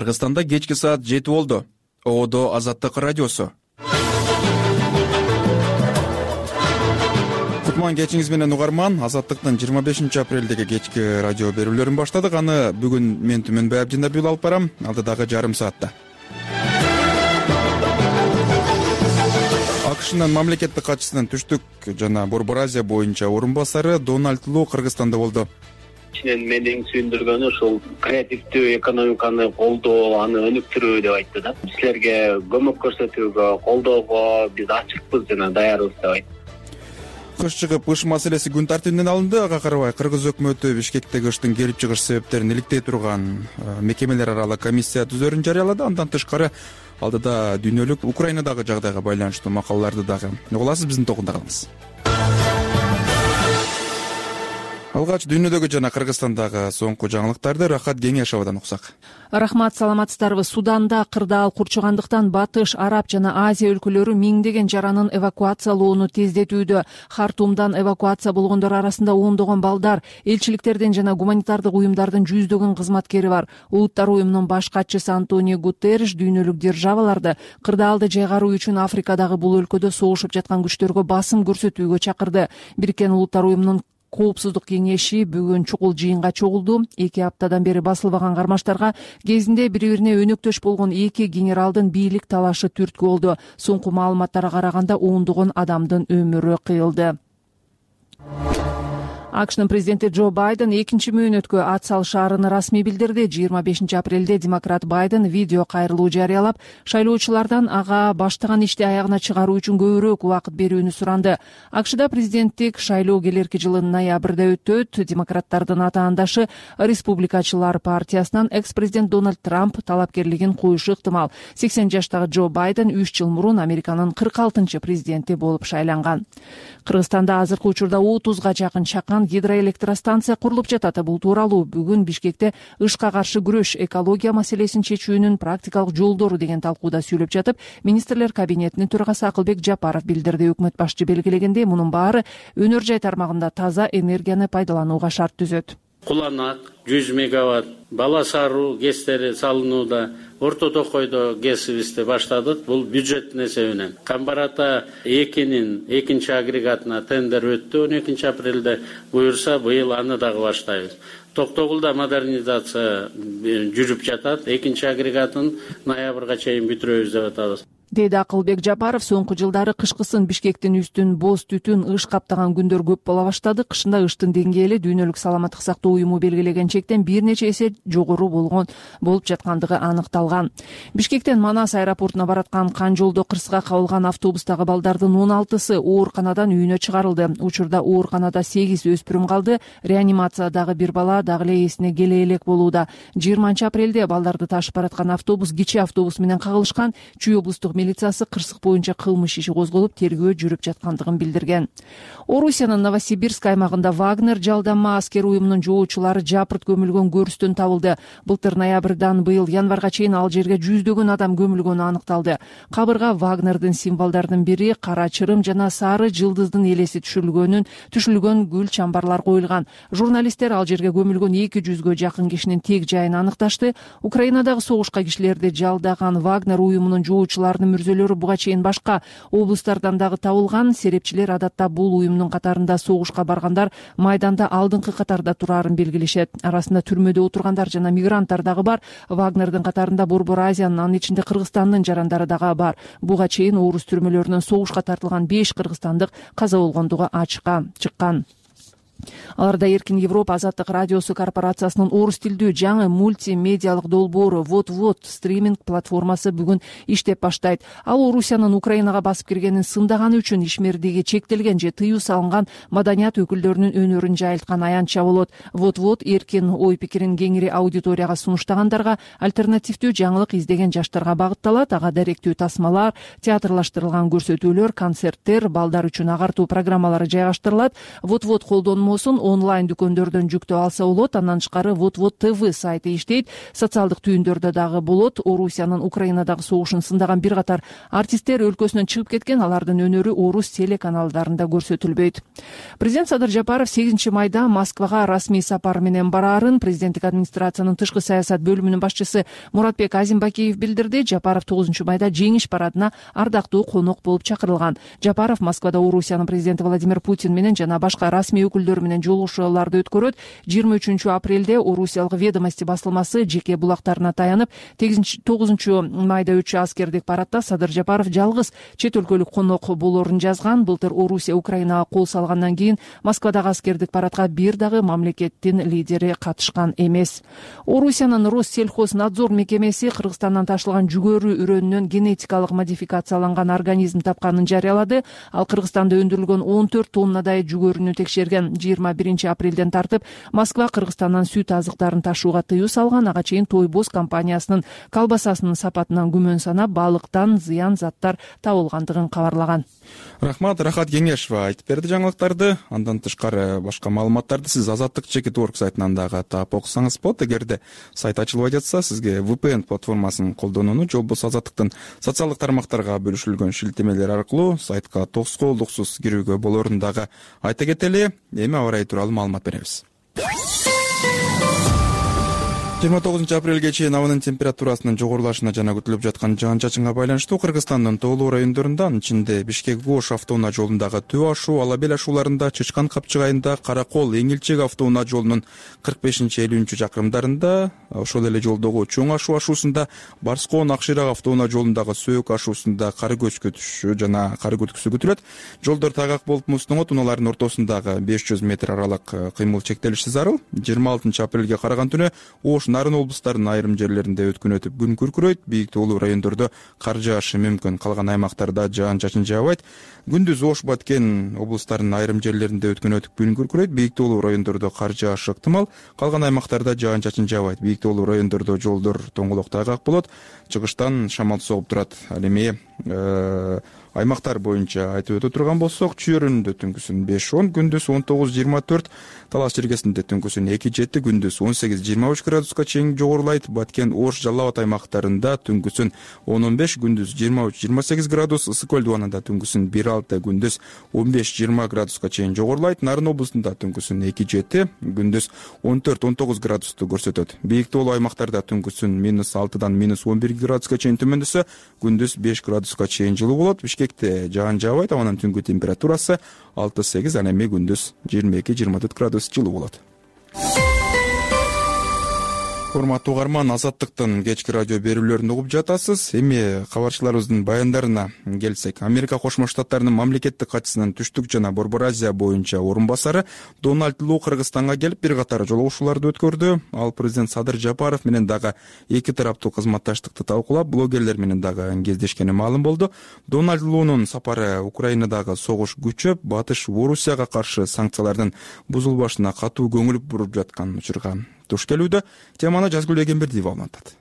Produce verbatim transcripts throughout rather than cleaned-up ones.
Кыргызстанда кечки саат жети болду. Оодо Азаттык радиосу. Кутман кечиңиз менен угарман. Азаттыктын жыйырма бешинчи апрелдеги кечки радио берүүлөрүн баштадык. Аны бүгүн мен Түмөнбай Абдинабиев алып барам. Алдыдагы жарым саатта. АКШнын мамлекеттик катчысынын түштүк жана Борбор Азия боюнча орун басары Дональд Ло Кыргызстанда болду. Мени сүйүндүргөнү ушул креативдүү экономиканы колдоо, аны өнүктүрүү деп айтты да. Силерге көмөк көрсөтүүгө, колдоого биз ачыкпыз жана даярбыз деп айтты. Кыш чыгып, кыш маселеси күн тартибинен алынды. Ага карабай Кыргыз өкмөтү Бишкектеги кыштын келип чыгыш себептерин иликтей турган мекемелер аралык комиссия түзөрүн жарыялады. Андан тышкары алдыда дүйнөлүк Украинадагы жагдайга байланыштуу макалаларды дагы угуласыз, биздин токунда калыңыз. Алгач дүйнөдөгү жана Кыргызстандагы соңку жаңылыктарды Рахат Кеңешовдон уксак. Рахмат, саламатсыздарбы. Суданда кырдаал курчугандыктан Батыш, Араб жана Азия өлкөлөрү миңдеген жаранын эвакуациялоону тездетүүдө. Хартумдан эвакуация болгондор арасында ондогон балдар, элчиликтердин жана гуманитардык уюмдардын жүздөгөн кызматкери бар. Улуттар уюмунун баш катчысы Антонио Гутерриш дүйнөлүк державаларды кырдаалды жайгаруу үчүн Африкадагы бул өлкөдө согушуп жаткан күчтөргө басым көрсөтүүгө чакырды. Бириккен Улуттар уюмунун Коопсуздук кеңеши бүгүн чукул жыйынга чогулду. Эки аптадан бери басылбаган кармаштарга кезинде бири-бирине өнөктөш болгон эки генералдын бийлик талашы түрткү болду. Соңку маалыматтарга караганда ондогон адамдын өмүрү кыйылды. АКШнын президенти Джо Байден экинчи мөөнөткө ат салышаарын расмий билдирди. жыйырма бешинчи апрелде демократ Байден видео кайрылуу жарыялап, шайлоочулардан ага баштаган ишти аягына чыгаруу үчүн көбүрөөк убакыт берүүнү суранды. АКШда президенттик шайлоо келерки жылдын ноябрда өтөт. Демократтардын атаандашы Республикачылар партиясынан экс-президент Дональд Трамп талапкерлигин коюшу ыктымал. сексен жаштагы Джо Байден үч жыл мурун Американын кырк алтынчы президенти болуп шайланган. Кыргызстанда азыркы учурда отузга жакын чакан гидроэлектростанция курулуп жатат. Бул тууралуу бүгүн Бишкекте ышка каршы күрөш, экология маселесин чечүүнүн практикалык жолдору деген талкууда сүйлөп жатып, министрлер кабинетинин төрагасы Акылбек Жапаров билдирди. Өкмөт башчы белгилегендей, мунун баары өнөр жай тармагында таза энергияны пайдаланууга шарт түзөт. Куланак жүз мегаватт, Бала Саруу ГЭСтери салынууда, Орто Токойдо ГЭСибизди баштадык. Бул бюджеттин эсебинен. Камбарата экинин экинчи агрегатына тендер өттү он экинчи апрелде. Буюрса быйыл аны дагы баштайбыз. Токтогулда модернизация жүрүп жатат. Экинчи агрегатын ноябрга чейин бүтүрөбүз деп атабыз. Деди Акылбек Жапаров, соңку жылдары кышкысын Бишкектин үстүн боз түтүн ыш каптаган күндөр көп бола баштады. Кышында ыштын деңгээли дүйнөлүк саламаттык сактоо уюму белгилеген чектен бир нече эсе жогору болгон болуп жаткандыгы аныкталган. Бишкектен Манас аэропортуна бараткан кан жолдо кырсыга кабылган автобустагы балдардын он алтысы ооруканадан үйүнө чыгарылды. Учурда ооруканада сегиз өспүрүм калды. Реанимациядагы бир бала дагы эле эсине келе элек болууда. жыйырманчы апрелде балдарды ташып бараткан автобус кичи автобус менен кагылышкан. Чүй облустук милициясы кырсык боюнча кылмыш иши козголуп, тергөө жүрүп жаткандыгын билдирген. Орусиянын Новосибирск аймагында Вагнер жалданма аскер уюмунун жоочулары жапырт көмүлгөн көрүстөн табылды. Былтыр ноябрдан быйыл январга чейин ал жерге жүздөгөн адам көмүлгөнү аныкталды. Кабырга Вагнердин символдорунун бири кара чырым жана сары жылдыздын элеси түшүрүлгөнүн түшүлгөн гүл чамбарлар коюлган. Журналисттер ал жерге көмүлгөн эки жүзгө жакын кишинин тек жайын аныкташты. Украинадагы согушка кишилерди жалдаган Вагнер уюмунун жоочуларынын мүрзөлөрү буга чейин башка облустардан дагы табылган. Серепчилер адатта бул уюмдун катарында согушка баргандар майданда алдыңкы катарда турарын белгилешет. Арасында түрмөдө отургандар жана мигранттар дагы бар. Вагнердин катарында Борбор Азиянын, анын ичинде Кыргызстандын жарандары дагы бар. Буга чейин орус түрмөлөрүнөн согушка тартылган беш кыргызстандык каза болгондугу ачыкка чыккан. Аларда Эркин Европа Азаттык радиосу корпорациясынын орус тилдүү жаңы мультимедиалык долбоору Вот-Вот стриминг платформасы бүгүн иштеп баштайт. Ал Орусиянын Украинага басып киргенин сындаганы үчүн ишмердиги чектелген же тыюу салынган маданият өкүлдөрүнүн өнөрүн жайылткан аянтча болот. Вот-Вот эркин ой пикирин кеңири аудиторияга сунуштагандарга, альтернативдүү жаңылык издеген жаштарга багытталат. Ага даректүү тасмалар, театрлаштырылган көрсөтүүлөр, концерттер, балдар үчүн агартуу программалары жайгаштырылат. Вот-Вот колдонмо коймосун онлайн дүкөндөрдөн жүктөп алса болот. Андан тышкары вот вот тв сайты иштейт. Социалдык түйүндөрдө дагы болот. Орусиянын Украинадагы согушун сындаган бир катар артисттер өлкөсүнөн чыгып кеткен. Алардын өнөрү орус телеканалдарында көрсөтүлбөйт. Президент Садыр Жапаров сегизинчи майда Москвага расмий сапар менен бараарын президенттик администрациянын тышкы саясат бөлүмүнүн башчысы Муратбек Азимбакиев билдирди. Жапаров тогузунчу майда жеңиш парадына ардактуу конок болуп чакырылган. Жапаров Москвада Орусиянын президенти Владимир Путин менен жана башка расмий өкүлдөр менен жолугушууларды өткөрөт. жыйырма үчүнчү апрелде Орусиялык Ведомости басылмасы жеке булактарына таянып, тогузунчу майда өтчү аскердик парадда Садыр Жапаров жалгыз чет өлкөлүк конок болоорун жазган. Былтыр Орусия Украинага кол салгандан кийин Москвадагы аскердик парадка бир дагы мамлекеттин лидери катышкан эмес. Орусиянын Россельхознадзор мекемеси Кыргызстандан ташылган жүгөрү үрөнүнөн генетикалык модификацияланган организм тапканын жарыялады. Ал Кыргызстанда өндүрүлгөн он төрт тоннадай жүгөрүнү текшерген. жыйырма биринчи апрелден тартып Москва Кыргызстандан сүт азыктарын ташууга тыюу салган. Ага чейин Тойбоз компаниясынын колбасасынын сапатынан күмөн санап, балыктан зыян заттар табылгандыгын кабарлаган. Рахмат, Рахат Кеңешова айтып берди жаңылыктарды. Андан тышкары башка маалыматтарды сиз Азаттык чекит орг сайтынан дагы таап окусаңыз болот. Эгерде сайт ачылбай жатса, сизге ви пи эн платформасын колдонууну же болбосо Азаттыктын социалдык тармактарга бөлүшүлгөн шилтемелер аркылуу сайтка тоскоолдуксуз кирүүгө болоорун дагы айта кетели. Эми аба ырайы тууралуу маалымат беребиз. жыйырма тогузунчу апрелге чейин абанын температурасынын жогорулашына жана күтүлүп жаткан жаан-чачынга байланыштуу Кыргызстандын тоолуу райондорунда, анын ичинде Бишкек-Ош автоунаа жолундагы Төө ашуу, Ала бел ашууларында, Чычкан капчыгайында, Каракол, Эңилчек автоунаа жолунун кырк бешинчи элүүнчү чакырымдарында, ошол эле жолдогу Чоң ашуу ашуусунда, Барскоон Акширак автоунаа жолундагы Сөөк ашуусунда кар көчкүтүшү жана кар көтүксү күтүлөт. Жолдор тайгак болуп муздоңот, унаалардын ортосундагы беш жүз метр аралык кыймыл чектелиши зарыл. жыйырма алтынчы апрелге караган түнү Ош, Нарын облустарынын айрым жерлеринде өткөн өтүп күн күркүрөйт. Бийик тоолуу райондордо кар жаашы мүмкүн. Калган аймактарда жаан-чачын жаабайт. Күндүз Ош, Баткен облустарынын айрым жерлеринде өткөн өтүп күн күркүрөйт. Бийик тоолуу райондордо кар жаашы ыктымал. Калган аймактарда жаан-чачын жаабайт. Бийик тоолуу райондордо жолдор тоңголок тайгак болот. Чыгыштан шамал согуп турат. Ал эми аймактар боюнча айтып өтө турган болсок, Чүйөрүндө түнкүсүн беш он, күндүз он тогуз жыйырма төрт, Талас Чергесинде түнкүсүн эки жети, күндүз он сегиз жыйырма үч градуска чейин жогорулайт. Баткен, Ош, Жалал Абад аймактарында түнкүсүн он он беш, күндүз жыйырма үч жыйырма сегиз градус, Ысык көл дубанында түнкүсүн бир алты, күндүз он беш жыйырма градуска чейин жогорулайт. Нарын облусунда түнкүсүн эки жети, күндүз он төрт он тогуз градусту көрсөтөт. Бийик тоолуу аймактарда түнкүсүн минус алтыдан минус он бир градуска чейин төмөндөсө, күндүз беш градуска чейин жылуу болот. Бишкекте жаан жаабайт, абанын түнгү температурасы алты сегиз, ал эми күндүз жыйырма эки жыйырма төрт градус жылуу болот. Урматтуу угарман, Азаттыктын кечки радио берүүлөрүн угуп жатасыз. Эми кабарчыларыбыздын баяндарына келсек, Америка Кошмо Штаттарынын мамлекеттик катчысынын Түштүк жана Борбор Азия боюнча орун басары Дональд Лу Кыргызстанга келип бир катар жолугушууларды өткөрдү. Ал президент Садыр Жапаров менен дагы эки тараптуу кызматташтыкты талкуулап, блогерлер менен дагы кездешкени маалым болду. Дональд Лунун сапары Украинадагы согуш күчөп, Батыш Орусияга каршы санкциялардын бузулбашына катуу көңүл буруп жаткан учурга туш келүүдө. Теманы Жазгүл Эгембердиева аңлатат.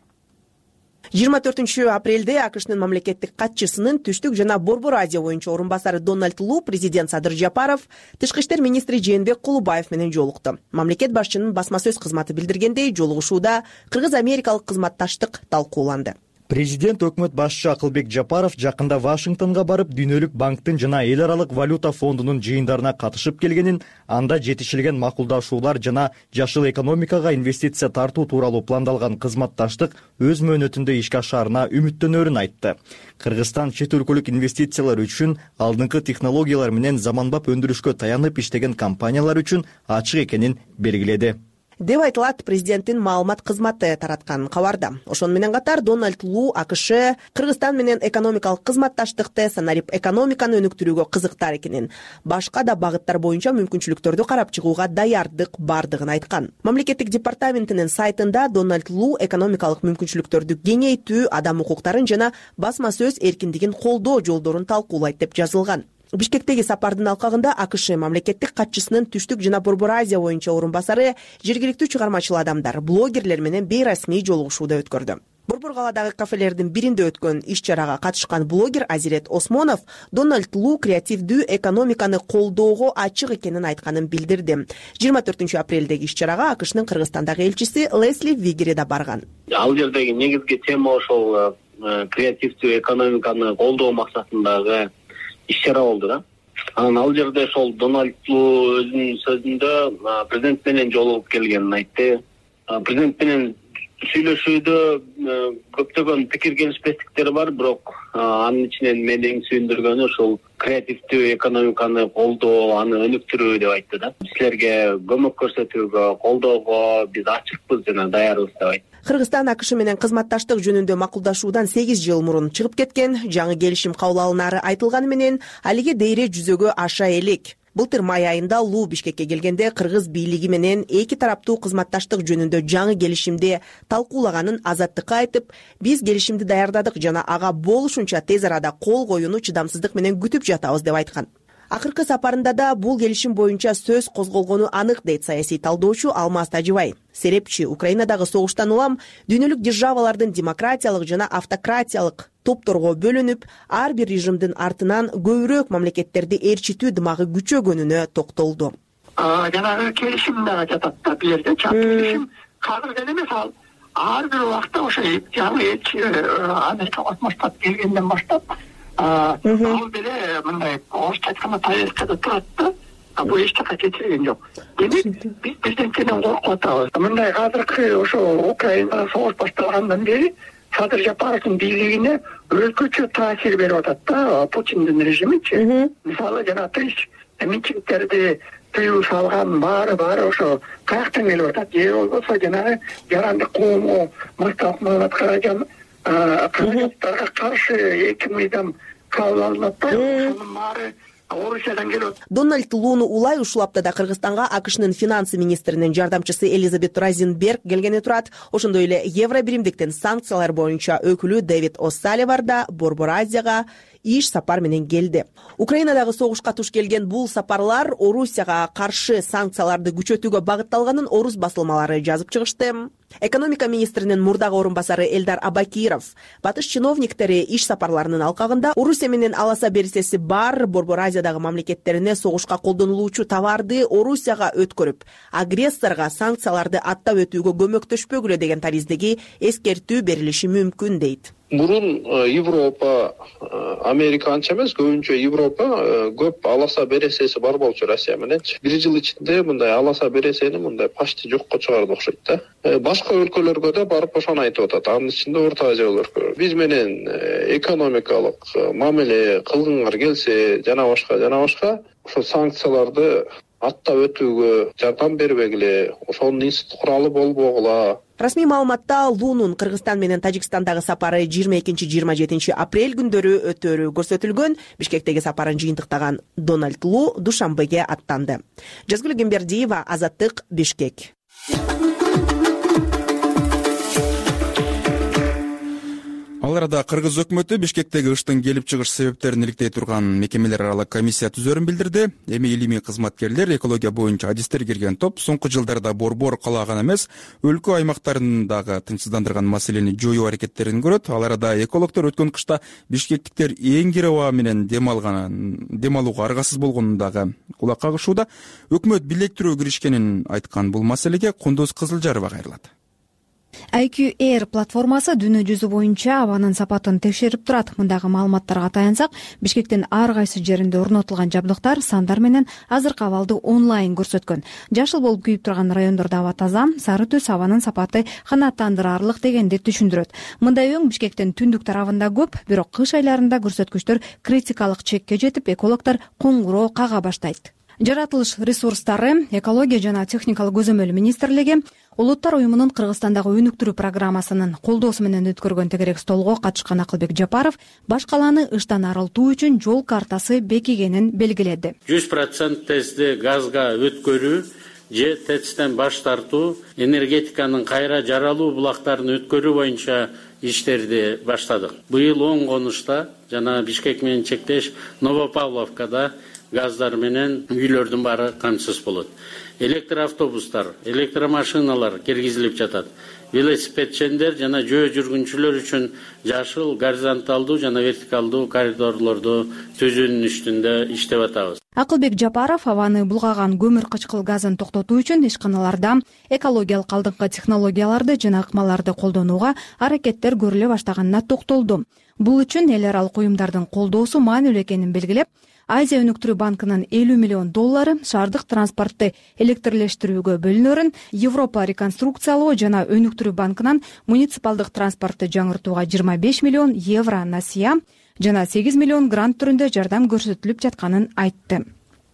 жыйырма төртүнчү апрелде АКШнын мамлекеттик катчысынын Түштүк жана Борбор Азия боюнча орун басары Дональд Лу президент Садыр Жапаров тышкы иштер министри Жээнбек Кулубаев менен жолукту. Мамлекет башчынын басма сөз кызматы билдиргендей, жолугушууда кыргыз-америкалык кызматташтык талкууланды. Президент өкмөт башчы Акылбек Жапаров жакында Вашингтонго барып, Дүйнөлүк банктын жана Эл аралык валюта фондунун жыйындарына катышып келгенин, анда жетишилген макулдашуулар жана жашыл экономикага инвестиция тартуу тууралуу пландалган кызматташтык өз мөөнөтүндө ишке ашаарына үмүттөнөрүн айтты. Кыргызстан чет өлкөлүк инвестициялар үчүн алдыңкы технологиялар менен заманбап өндүрүшкө таянып иштеген компаниялар үчүн ачык экенин белгиледи деп айтылат президенттин маалымат кызматы тараткан кабарда. Ошону менен катар Дональд Лу АКШ Кыргызстан менен экономикалык кызматташтыкты санарип экономиканы өнүктүрүүгө кызыктар экенин, башка да багыттар боюнча мүмкүнчүлүктөрдү карап чыгууга даярдык бардыгын айткан. Мамлекеттик департаментинин сайтында Дональд Лу экономикалык мүмкүнчүлүктөрдү кеңейтүү, адам укуктарын жана басма сөз эркиндигин колдоо жолдорун талкуулайт деп жазылган. Бишкектеги сапардын алкагында АКШ мамлекеттик катчысынын Түштүк жана Борбор Азия боюнча орун басары жергиликтүү чыгармачыл адамдар, блогерлер менен бейрасмий жолугушууда өткөрдү. Борбор калаадагы кафелердин биринде өткөн иш чарага катышкан блогер Азирет Осмонов Дональд Лу креативдүү экономиканы колдоого ачык экенин айтканын билдирди. жыйырма төртүнчү апрелдеги иш чарага АКШнын Кыргызстандагы элчиси Лесли Вигери да барган. Ал жердеги негизги тема ошол креативдүү экономиканы колдоо максатындагы иш чара болду да. Анан ал жерде ошол Дональд Лу өзүнүн сөзүндө президент менен жолугуп келгенин айтты. Президент менен сүйлөшүүдө көптөгөн пикир келишпестиктер бар, бирок анын ичинен мени эң сүйүндүргөнү ушул креативдүү экономиканы колдоо, аны өнүктүрүү деп айтты да. Силерге көмөк көрсөтүүгө, колдоого биз ачыкпыз жана даярбыз деп айтты. Кыргызстан АКШ менен кызматташтык жөнүндө макулдашуудан сегиз жыл мурун чыгып кеткен. Жаңы келишим кабыл алынаары айтылганы менен алиге дейре жүзөгө аша элек. Былтыр май айында Лу Бишкекке келгенде кыргыз бийлиги менен эки тараптуу кызматташтык жөнүндө жаңы келишимди талкуулаганын Азаттыкка айтып, биз келишимди даярдадык жана ага болушунча тез арада кол коюуну чыдамсыздык менен күтүп жатабыз деп айткан. Акыркы сапарында да бул келишим боюнча сөз козголгону анык, дейт саясий талдоочу Алмаз Тажибай. Серепчи Украинадагы согуштан улам дүйнөлүк державалардын демократиялык жана автократиялык топторго бөлүнүп, ар бир режимдин артынан көбүрөөк мамлекеттерди эрчитүү дымагы күчөгөнүнө токтолду. Жанагы келишим да жатат да, бул жерде чат келишим казыр деле эмес, ал ар бир убакта ошо жаңы элчи Америка Кошмо Штат келгенден баштап ал деле мындай орусча айтканда таязкада турат да. Бул эч жака кетирген жок. Демек биз президенттен коркуп атабыз. Мындай азыркы ошо Украинада согуш башталгандан бери Садыр Жапаровдун бийлигине өзгөчө таасир берип атат да Путиндин режимичи. Мисалы жана тынч митингдерди тыюу салган баары баары ошо каяктан келип атат. Же болбосо жанагы жарандык коомго мактап маалымат каражан каражаттарга каршы эки мыйзам кабыл алынат да. Ошонун баары Орусиядан келип. Дональд Луну улай ушул аптада Кыргызстанга АКШнын финансы министринин жардамчысы Элизабет Розенберг келгени турат. Ошондой эле Евробиримдиктин санкциялар боюнча өкүлү Дэвид О'Салливан да Борбор Азияга иш сапар менен келди. Украинадагы согушка туш келген бул сапарлар Орусияга каршы санкцияларды күчөтүүгө багытталганын орус басылмалары жазып чыгышты. Экономика министринин мурдагы орун басары Элдар Абакиров батыш чиновниктери иш сапарларынын алкагында Орусия менен аласа берисеси бар Борбор Азиядагы мамлекеттерине согушка колдонулуучу товарды Орусияга өткөрүп, агрессорго санкцияларды аттап өтүүгө көмөктөшпөгүлө деген тариздеги эскертүү берилиши мүмкүн, дейт. Мурун Европа, Америка анча эмес, көбүнчө Европа көп аласа бересеси бар болчу Россия мененчи. Бир жыл ичинде мындай аласа бересени мындай почти жокко чыгарды окшойт да. Башка өлкөлөргө да барып ошону айтып атат. Анын ичинде Орто Азия өлкөлөргө. Биз менен экономикалык мамиле кылгыңар келсе, жана башка, жана башка ошо санкцияларды аттап өтүүгө жардам бербегиле, ошонун институт куралы болбогула. Расмий маалыматта Лунун Кыргызстан менен Тажикстандагы сапары жыйырма экинчи жыйырма жетинчи апрель күндөрү өтөөрү көрсөтүлгөн. Бишкектеги сапарын жыйынтыктаган Дональд Лу Душанбеге аттанды. Жазгүл Гембердиева, Азаттык, Бишкек. Ал арада кыргыз өкмөтү Бишкектеги ыштын келип чыгыш себептерин иликтей турган мекемелер аралык комиссия түзөрүн билдирди. Эми илимий кызматкерлер, экология боюнча адистер кирген топ соңку жылдарда борбор кала гана эмес, өлкө аймактарындагы тынчсыздандырган маселени жоюу аракеттерин көрөт. Ал арада экологдор өткөн кышта бишкектиктер эңгир аба менен дем алган, дем алууга аргасыз болгонун дагы кулак кагышууда. Өкмөт бийлектирүү киришкенин айткан бул маселеге Кундуз Кызылжарова кайрылат. ай кью Air платформасы дүйнө жүзү боюнча абанын сапатын текшерип турат. Мындагы маалыматтарга таянсак, Бишкектин ар кайсы жеринде орнотулган жабдыктар сандар менен азыркы абалды онлайн көрсөткөн. Жашыл болуп күйүп турган райондордо аба таза, сары түс абанын сапаты канааттандырарлык дегенди түшүндүрөт. Мындай өң Бишкектин түндүк тарабында көп, бирок кыш айларында көрсөткүчтөр критикалык чекке жетип, экологдор коңгуроо кага баштайт. Жаратылыш ресурстары, экология жана техникалык көзөмөл министрлиги Улуттар уюмунун Кыргызстандагы өнүктүрүү программасынын колдоосу менен өткөргөн тегерек столго катышкан Акылбек Жапаров баш каланы ыштан арылтуу үчүн жол картасы бекигенин белгиледи. жүз процент тезде газга өткөрүү же тэцтен баш тартуу, энергетиканын кайра жаралуу булактарын өткөрүү боюнча иштерди баштадык. Быйыл оң конушта жана Бишкек менен чектеш Новопавловкада газдар менен үйлөрдүн баары камсыз болот. Электр автобустар, электромашиналар киргизилип жатат. Велосипедчендер жана жөө жүргүнчүлөр үчүн жашыл горизонталдуу жана вертикалдуу коридорлорду түзүүнүн үстүндө иштеп атабыз. Акылбек Жапаров абаны булгаган көмүр кычкыл газын токтотуу үчүн ишканаларда экологиялык алдыңкы технологияларды жана ыкмаларды колдонууга аракеттер көрүлө баштаганына токтолду. Бул үчүн эл аралык уюмдардын колдоосу маанилүү экенин белгилеп, Азия өнүктүрүү банкынын элүү миллион доллары шаардык транспортты электрлештирүүгө бөлүнөрүн, Европа реконструкциялоо жана өнүктүрүү банкынан муниципалдык транспортты жаңыртууга жыйырма беш миллион евро насыя жана сегиз миллион грант түрүндө жардам көрсөтүлүп жатканын айтты.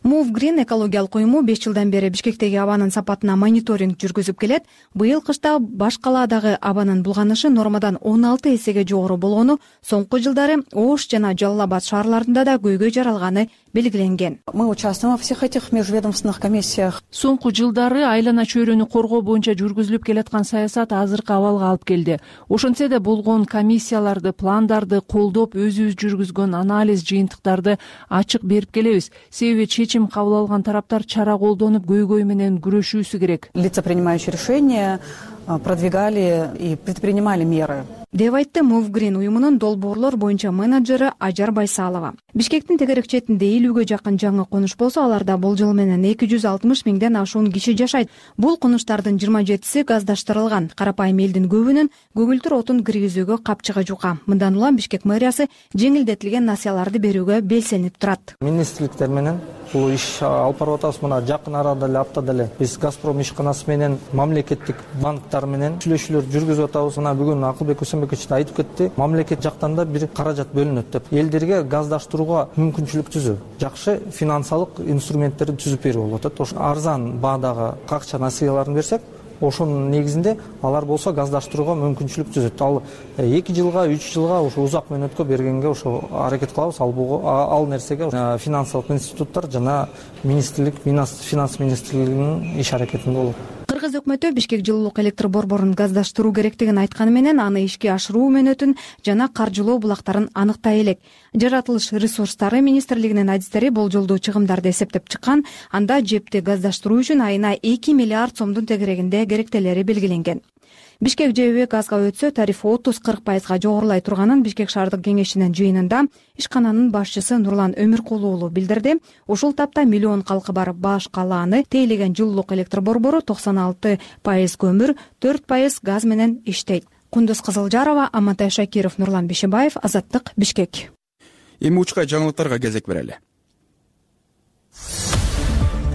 Move Green экологиялык уюму беш жылдан бери Бишкектеги абанын сапатына мониторинг жүргүзүп келет. Быйыл кышта баш калаадагы абанын булганышы нормадан он алты эсеге жогору болгону, соңку жылдары Ош жана Жалал Абад шаарларында да көйгөй жаралганы белгиленген. Мы участвуем во всех этих межведомственных комиссиях. Соңку жылдары айлана чөйрөнү коргоо боюнча жүргүзүлүп келаткан саясат азыркы абалга алып келди. Ошентсе да болгон комиссияларды, пландарды колдоп, өзүбүз жүргүзгөн анализ жыйынтыктарды ачык берип келебиз. Себеби чечим кабыл алган тараптар чара колдонуп, көйгөй менен күрөшүүсү керек. Лица, принимающие решения, продвигали и предпринимали меры. деп айтты Move Green уюмунун долбоорлор боюнча менеджери Ажар Байсалова. Бишкектин тегерек четинде элүүгө жакын жаңы конуш болсо, аларда болжол менен эки жүз алтымыш миңден ашуун киши жашайт. Бул конуштардын жыйырма жетиси газдаштырылган. Карапайым элдин көбүнүн көгүлтүр отун киргизүүгө капчыгы жука. Мындан улам Бишкек мэриясы жеңилдетилген насыяларды берүүгө белсенип турат. Министрликтер менен бул иш алып барып атабыз. Мына жакын арада эле аптада эле биз Газпром ишканасы менен мамлекеттик банктар менен сүйлөшүүлөр жүргүзүп атабыз. Мына бүгүн Акылбек Усенбекович айтып кетти. Мамлекет жактан да бир каражат бөлүнөт деп. Элдерге газдаштырууга мүмкүнчүлүк түзүү, жакшы финансылык инструменттерди түзүп берүү болуп атат. Ошо арзан баадагы акча насыяларын берсек, ошонун негизинде алар болсо газдаштырууга мүмкүнчүлүк түзөт. Ал эки жылга, үч жылга ошо узак мөөнөткө бергенге ошо аракет кылабыз. Ал ал нерсеге финансылык институттар жана министрлик, финанс министрлигинин иш аракетинде болот. Кыргыз өкмөтү Бишкек жылуулук электр борборун газдаштыруу керектигин айтканы менен аны ишке ашыруу мөөнөтүн жана каржылоо булактарын аныктай элек. Жаратылыш ресурстары министрлигинин адистери болжолдуу чыгымдарды эсептеп чыккан. Анда жепти газдаштыруу үчүн айына эки миллиард сомдун тегерегинде керектелери белгиленген. Бишкек ЖЭБ газга өтсө тарифи отуз кырк пайызга жогорулай турганын Бишкек шаардык кеңешинин жыйынында ишкананын башчысы Нурлан Өмүркулу уулу билдирди. Ушул тапта миллион калкы бар баш калааны тейлеген жылуулук электр борбору токсон алты пайыз көмүр, төрт пайыз газ менен иштейт. Кундуз Кызылжарова, Амантай Шакиров, Нурлан Бишибаев, Азаттык, Бишкек. Эми учкай жаңылыктарга кезек берели.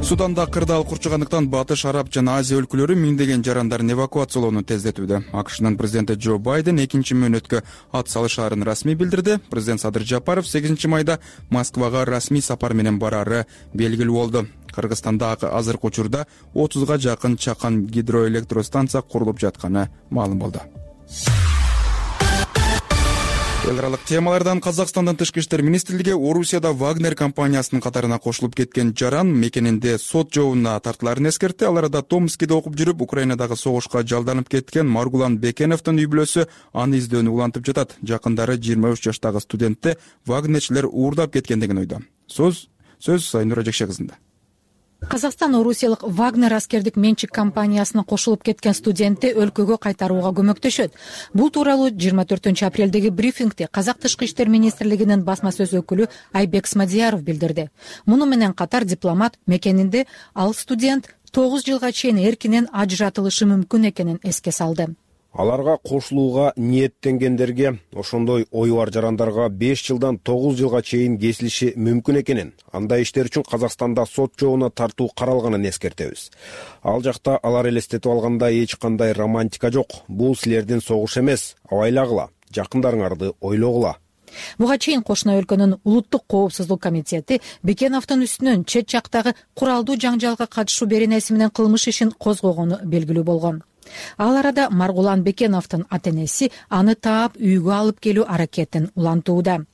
Суданда кырдаал курчугандыктан Батыш, Араб жана Азия өлкөлөрү миңдеген жарандарын эвакуациялоону тездетүүдө. АКШнын президенти Джо Байден экинчи мөөнөткө ат салышаарын расмий билдирди. Президент Садыр Жапаров сегизинчи майда Москвага расмий сапар менен барары белгилүү болду. Кыргызстанда азыркы учурда отузга жакын чакан гидроэлектростанция курулуп жатканы маалым болду. Эл аралык темалардан Казакстандын тышкы иштер министрлиги Орусияда Вагнер компаниясынын катарына кошулуп кеткен жаран мекенинде сот жообуна тартыларын эскертти. Ал арада Томскиде окуп жүрүп, Украинадагы согушка жалданып кеткен Маргулан Бекеновдун үй бүлөсү аны издөөнү улантып жатат. Жакындары жыйырма үч жаштагы студентти вагнерчилер уурдап кеткен деген ойдо. Сөз сөз Сайнура Жекше кызында. Казакстан орусиялык Вагнер аскердик менчик компаниясына кошулуп кеткен студентти өлкөгө кайтарууга көмөктөшөт. Бул тууралуу жыйырма төртүнчү апрелдеги брифингде Казак тышкы иштер министрлигинин басма сөз өкүлү Айбек Смадияров билдирди. Муну менен катар дипломат мекенинде ал студент тогуз жылга чейин эркинен ажыратылышы мүмкүн экенин эске салды. Аларга кошулууга ниеттенгендерге, ошондой ою бар жарандарга беш жылдан тогуз жылга чейин кесилиши мүмкүн экенин, андай иштер үчүн Казакстанда сот жообуна тартуу каралганын эскертебиз. Ал жакта алар элестетип алгандай эч кандай романтика жок. Бул силердин согуш эмес, абайлагыла, жакындарыңарды ойлогула. Буга чейин кошуна өлкөнүн улуттук коопсуздук комитети Бекеновдун үстүнөн чет жактагы куралдуу жаңжалга катышуу беренеси менен кылмыш ишин козгогону белгилүү болгон. Ал арада Маргулан Бекеновдун ата-энеси аны таап үйгө алып келүү аракетин улантууда.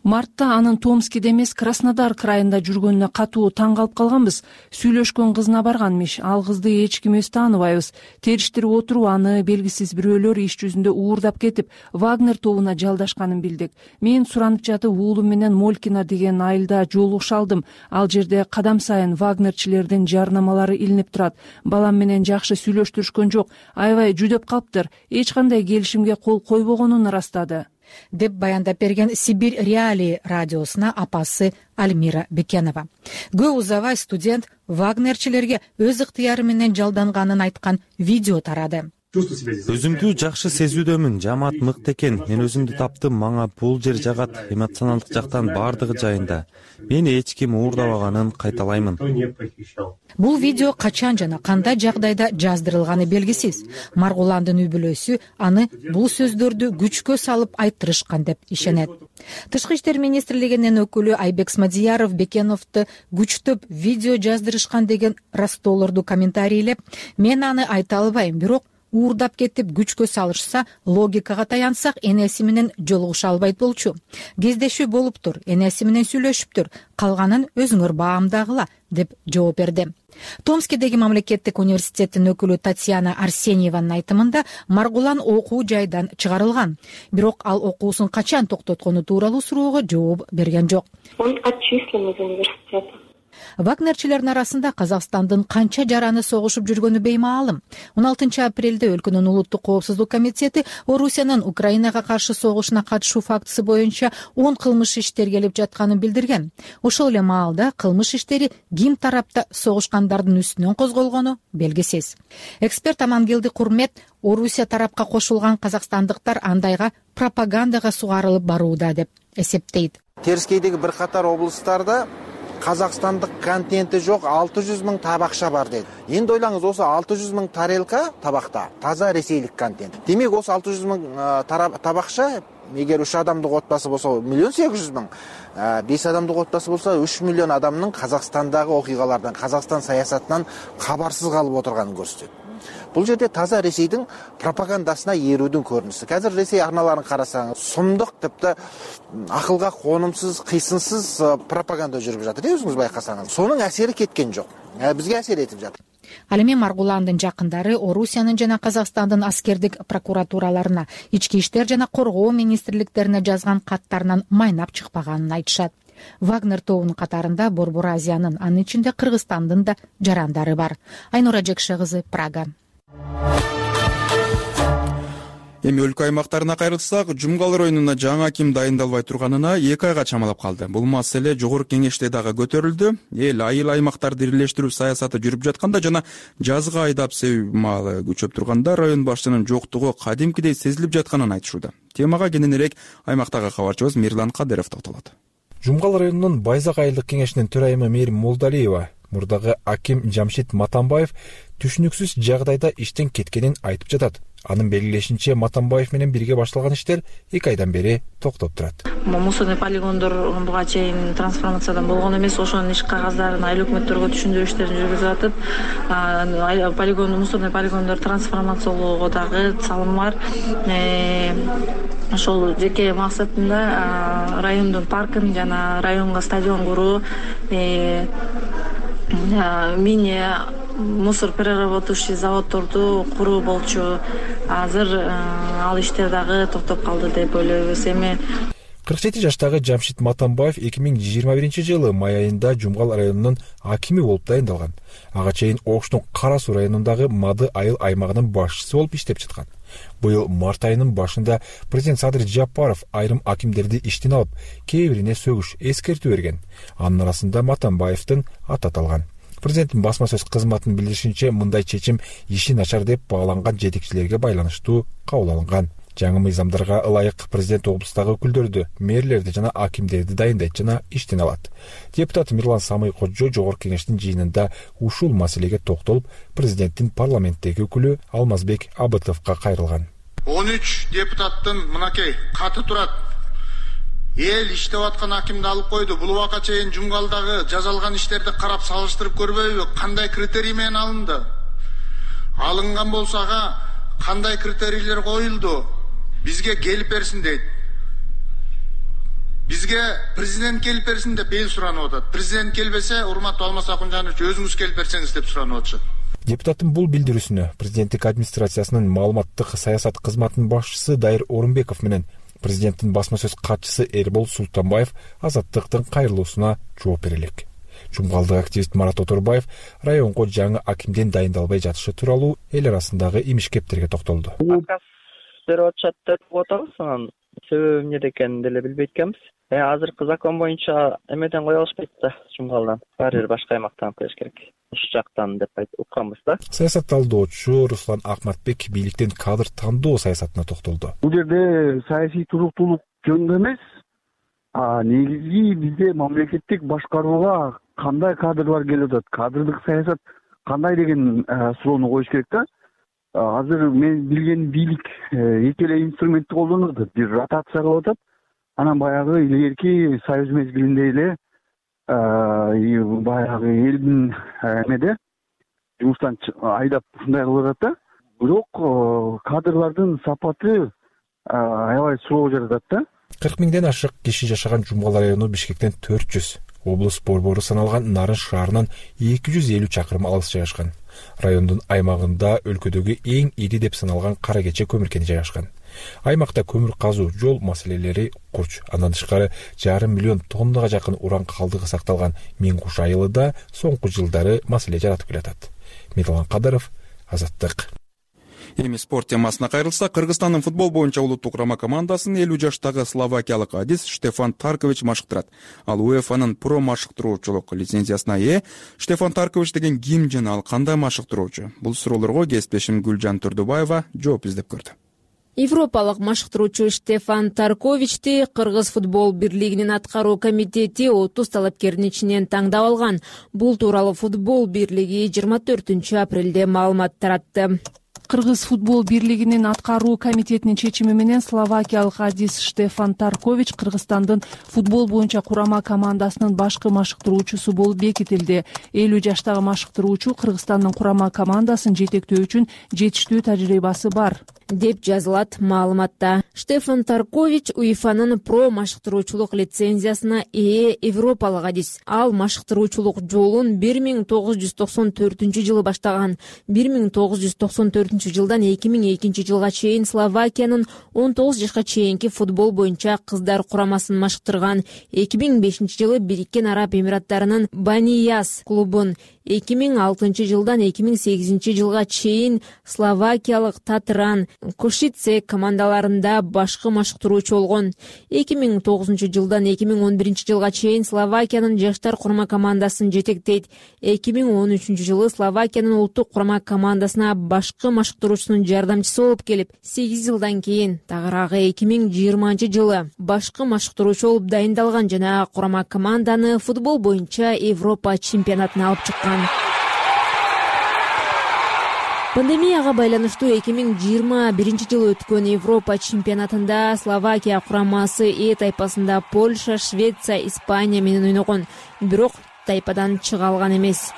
Мартта анын Томскиде эмес Краснодар крайында жүргөнүнө катуу таң калып калганбыз. Сүйлөшкөн кызына барганмиш. Ал кызды эч ким өз тааныбайбыз. Териштирип отуруп аны белгисиз бирөөлөр иш жүзүндө уурдап кетип, Вагнер тобуна жалдашканын билдик. Мен суранып жатып уулум менен Молькина деген айылда жолугуша алдым. Ал жерде кадам сайын вагнерчилердин жарнамалары илинип турат. Балам менен жакшы сүйлөштүрүшкөн жок. Аябай жүдөп калыптыр. Эч кандай келишимге кол койбогонун ырастады, деп баяндап берген Сибирь Реалии радиосуна апасы Альмира Бекенова. Көп узабай студент вагнерчилерге өз ыктыяры менен жалданганын айткан видео тарады. Өзүмдү жакшы сезүүдөмүн. Жамаат мыкты экен. Мен өзүмдү таптым. Мага бул жер жагат. Эмоционалдык жактан баардыгы жайында. Мени эч ким уурдабаганын кайталаймын. Бул видео качан жана кандай жагдайда жаздырылганы белгисиз. Маргуландын үй бүлөсү аны бул сөздөрдү күчкө салып айттырышкан деп ишенет. Тышкы иштер министрлигинин өкүлү Айбек Смадияров Бекеновду күчтөп видео жаздырышкан деген растоолорду комментарийлеп, мен аны айта албайм, бирок уурдап кетип күчкө салышса, логикага таянсак, энеси менен жолугуша албайт болчу. Кездешүү болуптур, энеси менен сүйлөшүптүр, калганын өзүңөр баамдагыла, деп жооп берди. Томскидеги мамлекеттик университеттин өкүлү Татьяна Арсеньеванын айтымында Маргулан окуу жайдан чыгарылган. Бирок ал окуусун качан токтоткону тууралуу суроого жооп берген жок. Он отчислен из университета. Вагнерчилердин арасында Казакстандын канча жараны согушуп жүргөнү беймаалым. он алтынчы апрелде өлкөнүн улуттук коопсуздук комитети Орусиянын Украинага каршы согушуна катышуу фактысы боюнча он кылмыш иштер келип жатканын билдирген. Ошол эле маалда кылмыш иштери ким тарапта согушкандардын үстүнөн козголгону белгисиз. Эксперт Амангелди Курмет Орусия тарапка кошулган казакстандыктар андайга пропагандага сугарылып барууда деп эсептейт. Терскейдеги бир катар облустарда казакстандык контенти жок алты жүз миң табакча бар дейт. Эndi ойлаңыз, осу алты жүз миң тарелка табакта таза ресейлик контент. Демек, осу алты жүз миң табакча, эгер үч адамдык отбасы болсо миллион сегиз жүз миң, беш адамдык отбасы болсо үч миллион адамдын Казакстандагы окуйгалардан, Казакстан саясатынан кабарсыз калып отурганын көрсөтөт. Бул жерде таза Ресейдин пропагандасына ээрүүдүн көрүнүшү. Азыр Ресей арналарын карасаңыз, сумдук типти акылга конумсуз, кыйсынсыз пропаганда жүрүп жатыр. Өзүңүз байкасаңыз, сонун әсери кеткен жок. Бизге әсер этип жатыр. Ал эми Маргуландын жакындары Орусиянын жана Казакстандын аскердик прокуратураларына, ички иштер жана коргоо министрликтерине жазган каттарынан майнап чыкпаганын айтышат. Вагнер тобунун катарында Борбор Азиянын, анын ичинде Кыргызстандын да жарандары бар. Айнура Жекше кызы, Прага. Эми өлкө аймактарына кайрылсак, Жумгал районуна жаңы аким дайындалбай турганына эки айга чамалап калды. Бул маселе жогорку кеңеште дагы көтөрүлдү. Эл айыл аймактарды бирлештирүү саясаты жүрүп жатканда жана жазга айдап себүү маалы күчөп турганда район башчынын жоктугу кадимкидей сезилип жатканын айтышууда. Темага кененирээк аймактагы кабарчыбыз Мирлан Кадыров токтолот. Жумгал районунун Байзак айылдык кеңешинин төрайымы Мээрим Молдалиева мурдагы аким Жамшит Матанбаев түшүнүксүз жагдайда иштен кеткенин айтып жатат. Анын белгилешинче, Матанбаев менен бирге башталган иштер эки айдан бери токтоп турат. Мусорный полигондор буга чейин трансформациядан болгон эмес, ошонун иш кагаздарын айыл өкмөттөргө түшүндүрүү иштерин жүргүзүп атып, полигон, мусорный полигондор трансформациялоого дагы салым бар. Ошол жеке максатында райондун паркын жана районго стадион куруу, мини мусор переработающий заводдорду куруу болчу. Азыр ал иштер дагы токтоп калды деп ойлойбуз. Эми кырк жети жаштагы Жамшит Матанбаев эки миң жыйырма биринчи жылы май айында Жумгал районунун акими болуп дайындалган. Ага чейин Оштун Кара Суу районундагы Мады айыл аймагынын башчысы болуп иштеп жаткан. Быйыл март айынын башында президент Садыр Жапаров айрым акимдерди иштен алып, кээ бирине сөгүш эскертүү берген. Анын арасында Матанбаевдин аты аталган. Президенттин басма сөз кызматынын билдиришинче, мындай чечим иши начар деп бааланган жетекчилерге байланыштуу кабыл алынган. Жаңы мыйзамдарга ылайык президент облустагы өкүлдөрдү, мэрлерди жана акимдерди дайындайт жана иштен алат. Депутат Мирлан Самый Кожо жогорку кеңештин жыйынында ушул маселеге токтолуп, президенттин парламенттеги өкүлү Алмазбек Абытовго кайрылган. он үч депутаттын мынакей каты турат. Эл иштеп аткан акимди алып койду. Бул убакка чейин Жумгалдагы жазалган иштерди карап салыштырып көрбөйбү? Кандай критерий менен алынды? Алынган болсо ага кандай критерийлер коюлду? Бизге келип берсин дейт. Бизге президент келип берсин деп эл суранып атат. Президент келбесе, урматтуу Алмаз Акунжанович, өзүңүз келип берсеңиз деп суранып атышат. Депутаттын бул билдирүүсүнө президенттик администрациясынын маалыматтык саясат кызматынын башчысы Дайыр Орунбеков менен президенттин басма сөз катчысы Эрбол Султанбаев Азаттыктын кайрылуусуна жооп берелик. Жумгалдык активист Марат Оторбаев районго жаңы акимден дайындалбай жатышы тууралуу эл арасындагы имиш-кептерге токтолду. Отказ берип атышат деп атабыз, анан себеби эмнеде экенин деле билбейт экенбиз. Э азыркы закон боюнча эмеден кое алышпайт да, Жумгалдан. Баары бир башка аймактан коюш керек. Ушул жактан деп айтып укканбыз да. Саясат талдоочу Руслан Акматбек бийликтен кадр тандоо саясатына токтолду. Бул жерде саясий туруктуулук жөнүндө эмес, а негизги бизде мамлекеттик башкарууга кандай кадрлар келип атат, кадрдык саясат кандай деген суроону коюш керек да. Азыр мен билген бийлик эки эле инструментти колдонуп атат. Бир ротация кылып атат. Анан баягы илгерки союз мезгилинде эле баягы элдин эмеде жумуштан айдап ушундай кылып атат да. Бирок кадрлардын сапаты аябай суроо жаратат да. кырк миңден ашык киши жашаган Жумгал району Бишкектен төрт жүз, облус борбору саналган Нарын шаарынан эки жүз элүү чакырым алыс жайгашкан. Райондун аймагында өлкөдөгү эң ири деп саналган Кара Кече көмүр кени жайгашкан. Аймакта көмүр казуу, жол маселелери курч. Андан тышкары жарым миллион тоннага жакын уран калдыгы сакталган Миң Куш айылы да соңку жылдары маселе жаратып келатат. Медалан Кадаров, Азаттык. Эми спорт темасына кайрылсак, Кыргызстандын футбол боюнча улуттук курама командасын элүү жаштагы словакиялык адис Штефан Таркович машыктырат. Ал УЕФАнын про машыктыруучулук лицензиясына ээ. Штефан Таркович деген ким жана ал кандай машыктыруучу? Бул суроолорго кесиптешим Гүлжан Турдубаева жооп издеп көрдү. Европалык машыктыруучу Штефан Тарковичти Кыргыз футбол бирлигинин аткаруу комитети отуз талапкердин ичинен таңдап алган. Бул тууралуу футбол бирлиги жыйырма төртүнчү апрелде маалымат таратты. Кыргыз футбол бирлигинин аткаруу комитетинин чечими менен словакиялык адис Штефан Таркович Кыргызстандын футбол боюнча курама командасынын башкы машыктыруучусу болуп бекитилди. элүү жаштагы машыктыруучу Кыргызстандын курама командасын жетектөө үчүн жетиштүү тажрыйбасы бар деп жазылат маалыматта. Штефан Таркович УЕФАнын про машыктыруучулук лицензиясына ээ европалык адис. Ал машыктыруучулук жолун бир миң тогуз жүз токсон төртүнчү жылы баштаган. бир миң тогуз жүз токсон төртүнчү жылдан эки миң экинчи жылга чейин Словакиянын он тогуз жашка чейинки футбол боюнча кыздар курамасын машыктырган. эки миң бешинчи жылы Бириккен Араб Эмираттарынын Банияс клубун, эки миң алтынчы жылдан эки миң сегизинчи жылга чейин словакиялык Татран, Кошице командаларында башкы машыктыруучу болгон. эки миң тогузунчу жылдан эки миң он биринчи жылга чейин Словакиянын жаштар курама командасын жетектейт. эки миң он үчүнчү жылы Словакиянын улуттук курама командасына башкы машыктыруучунун жардамчысы болуп келип, сегиз жылдан кийин тагыраагы эки миң жыйырманчы жылы башкы машыктыруучу болуп дайындалган жана курама команданы футбол боюнча Европа чемпионатына алып чыккан. Пандемияга байланыштуу эки миң жыйырма биринчи жылы өткөн Европа чемпионатында Словакия курамасы Э тайпасында Польша, Швеция, Испания менен ойногон, бирок тайпадан чыга алган эмес.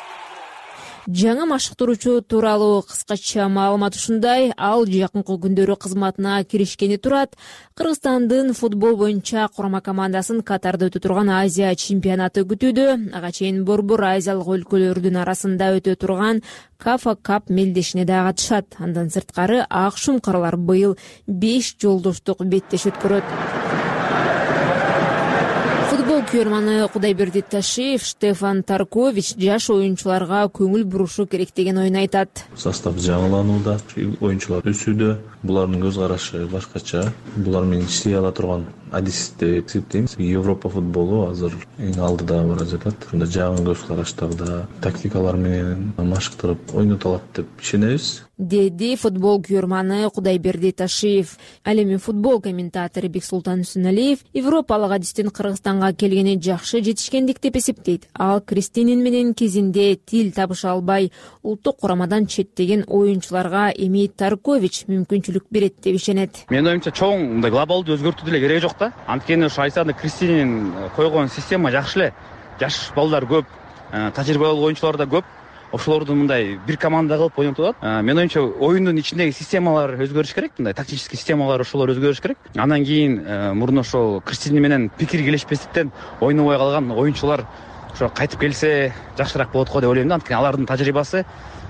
Жаңы машыктыруучу тууралуу кыскача маалымат ушундай. Ал жакынкы күндөрү кызматына киришкени турат. Кыргызстандын футбол боюнча курама командасын Катарда өтө турган Азия чемпионаты күтүүдө. Ага чейин борбор азиялык өлкөлөрдүн арасында өтө турган Кафа Кап мелдешине да катышат. Андан сырткары ак шумкарлар быйыл беш жолдоштук беттеш өткөрөт. Футбол күйөрманы Кудайберди Ташиев Штефан Таркович жаш оюнчуларга көңүл бурушу керек деген оюн айтат. Состав жаңыланууда, оюнчулар өсүүдө, булардын көз карашы башкача. Булар менен иштей ала турган адис деп эсептейм. Европа футболу азыр эң алдыда бара жатат. Ушунда жаңы көз караштарда тактикалар менен машыктырып ойното алат деп ишенебиз. Деди футбол күйөрманы Кудайберди Ташиев. Ал эми футбол комментатору Бексултан Үсүналиев Европалык адистин Кыргызстанга келгени жакшы жетишкендик деп эсептейт. Ал Кристинин менен кезинде тил табыша албай улуттук курамадан четтеген оюнчуларга эми Таркович мүмкүнчүлүк берет деп ишенет. Менин оюмча чоң мындай глобалдуу өзгөртүү деле кереги жок да. Анткени ошо Айсада Кристинин койгон система жакшы эле. Жаш балдар көп, тажрыйба болгон оюнчулар да көп. ошолорду мындай бир команда кылып ойнотуп атат. Менин оюмча оюндун ичиндеги системалар өзгөрүш керек, мындай тактический системалар ошолор өзгөрүш керек. Андан кийин мурун ошол Криштини менен пикир келишпестиктен ойнобой калган оюнчулар ошо кайтып келсе жакшыраак болот го деп ойлойм да. Анткени алардын тажрыйбасы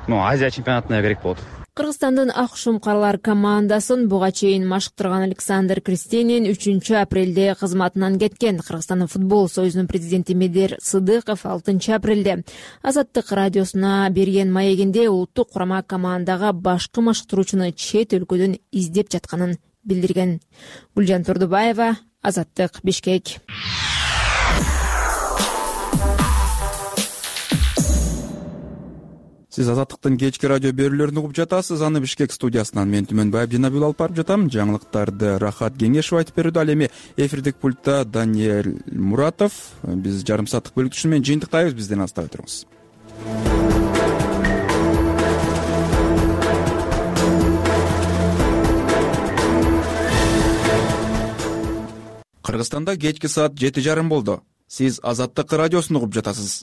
могу Азия чемпионатына керек болот. Кыргызстандын ак шумкарлар командасын буга чейин машыктырган Александр Кристенин үчүнчү апрелде кызматынан кеткен. Кыргызстандын футбол союзунун президенти Медер Сыдыков алтынчы апрелде Азаттык радиосуна берген маегинде улуттук курама командага башкы машыктыруучуну чет өлкөдөн издеп жатканын билдирген. Гүлжан Турдубаева, Азаттык, Бишкек. Сиз Азаттыктын кечки радио берүүлөрүн угуп жатасыз. Аны Бишкек студиясынан мен Түмөнбаев Динабил алып барып жатам. Жаңылыктарды Рахат Кеңешов айтып берүүдө. Ал эми эфирдик пультта Даниэль Муратов. Биз жарым сааттык бөлүктүшү менен жыйынтыктайбыз. Бизден алыстабай туруңуз. Кыргызстанда кечки саат жети жарым болду. Сиз Азаттык радиосун угуп жатасыз.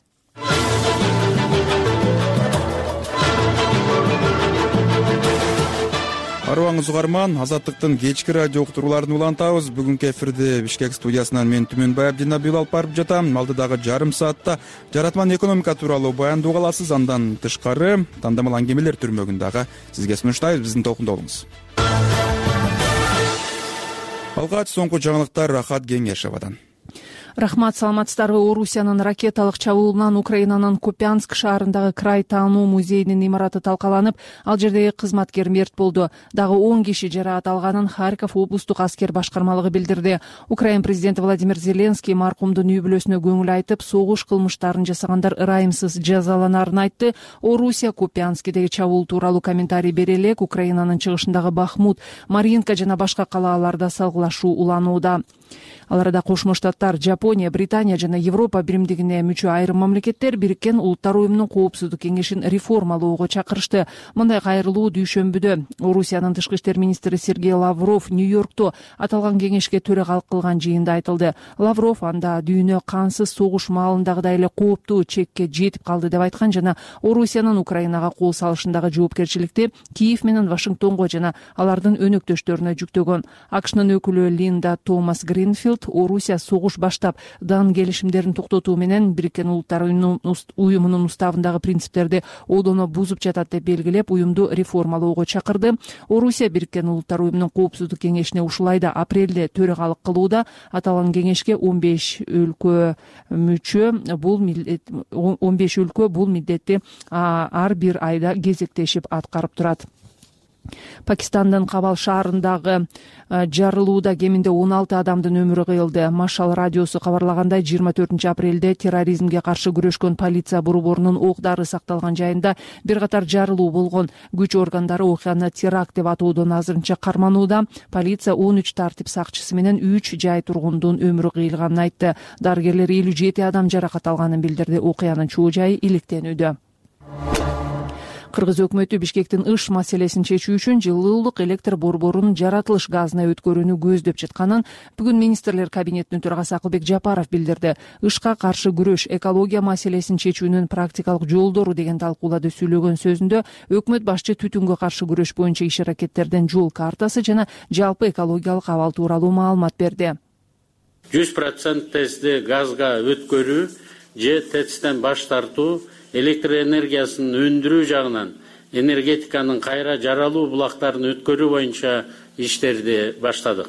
Арыбаңыз угарман, Азаттыктын кечки радио уктурууларын улантабыз. Бүгүнкү эфирде Бишкек студиясынан мен Түмөнбаев Динабил алып барып жатам. Алдыдагы жарым саатта жаратман экономика тууралуу баяндоо аласыз. Андан тышкары тандамал аңгемелер түрмөгүн дагы сизге сунуштайбыз. Биздин толкунда болуңуз. Алгач соңку жаңылыктар Рахат Кеңешовдон. Рахмат, саламатсыздарбы. Орусиянын ракеталык чабуулунан Украинанын Купянск шаарындагы край таануу музейинин имараты талкаланып, ал жердеги кызматкер мерт болду. Дагы он киши жараат алганын Харьков облустук аскер башкармалыгы билдирди. Украин президенти Владимир Зеленский маркумдун үй бүлөсүнө көңүл айтып, согуш кылмыштарын жасагандар ырайымсыз жазаланарын айтты. Орусия Купянскидеги чабуул тууралуу комментарий бере элек Украинанын чыгышындагы Бахмут, Маринка жана башка калааларда салгылашуу уланууда. Ал арада Кошмо Штаттар, Жапония, Британия жана Европа биримдигине мүчө айрым мамлекеттер Бириккен Улуттар уюмунун коопсуздук кеңешин реформалоого чакырышты. Мындай кайрылуу дүйшөмбүдө Орусиянын тышкы иштер министри Сергей Лавров Нью-Йоркто аталган кеңешке төрагалык кылган жыйында айтылды. Лавров анда дүйнө кансыз согуш маалындагыдай эле кооптуу чекке жетип калды деп айткан жана Орусиянын Украинага кол салышындагы жоопкерчиликти Киев менен Вашингтонго жана алардын өнөктөштөрүнө жүктөгөн. АКШнын өкүлү Линда Томас Гринфилд Орусия согуш баштап дан келишимдерин токтотуу менен Бириккен Улуттар уюмунун уставындагы принциптерди одоно бузуп жатат деп белгилеп, уюмду реформалоого чакырды. Орусия Бириккен Улуттар уюмунун коопсуздук кеңешине ушул айда апрелде төрагалык кылууда. Аталган кеңешке он беш өлкө мүчө, бул он беш өлкө бул милдетти ар бир айда кезектешип аткарып турат. Пакистандын Кабал шаарындагы жарылууда кеминде он алты адамдын өмүрү кыйылды. Машал радиосу кабарлагандай, жыйырма төртүнчү апрелде терроризмге каршы күрөшкөн полиция борборунун ок-дары сакталган жайында бир катар жарылуу болгон. Күч органдары окуяны теракт деп атоодон азырынча карманууда. Полиция он үч тартип сакчысы менен үч жай тургундун өмүрү кыйылганын айтты. Дарыгерлер элүү жети адам жаракат алганын билдирди. Окуянын чоо жайы иликтенүүдө. Кыргыз өкмөтү Бишкектин ыш маселесин чечүү үчүн жылуулук электр борборунун жаратылыш газына өткөрүүнү көздөп жатканын бүгүн министрлер кабинетинин төрагасы Акылбек Жапаров билдирди. Ышка каршы күрөш, экология маселесин чечүүнүн практикалык жолдору деген талкууларды сүйлөгөн сөзүндө өкмөт башчы түтүнгө каршы күрөш боюнча иш-аракеттердин жол картасы жана жалпы экологиялык абал тууралуу маалымат берди. жүз процент тезде газга өткөрүү же тэцтен баш тартуу электр энергиясын өндүрүү жагынан энергетиканын кайра жаралуу булактарын өткөрүү боюнча иштерди баштадык.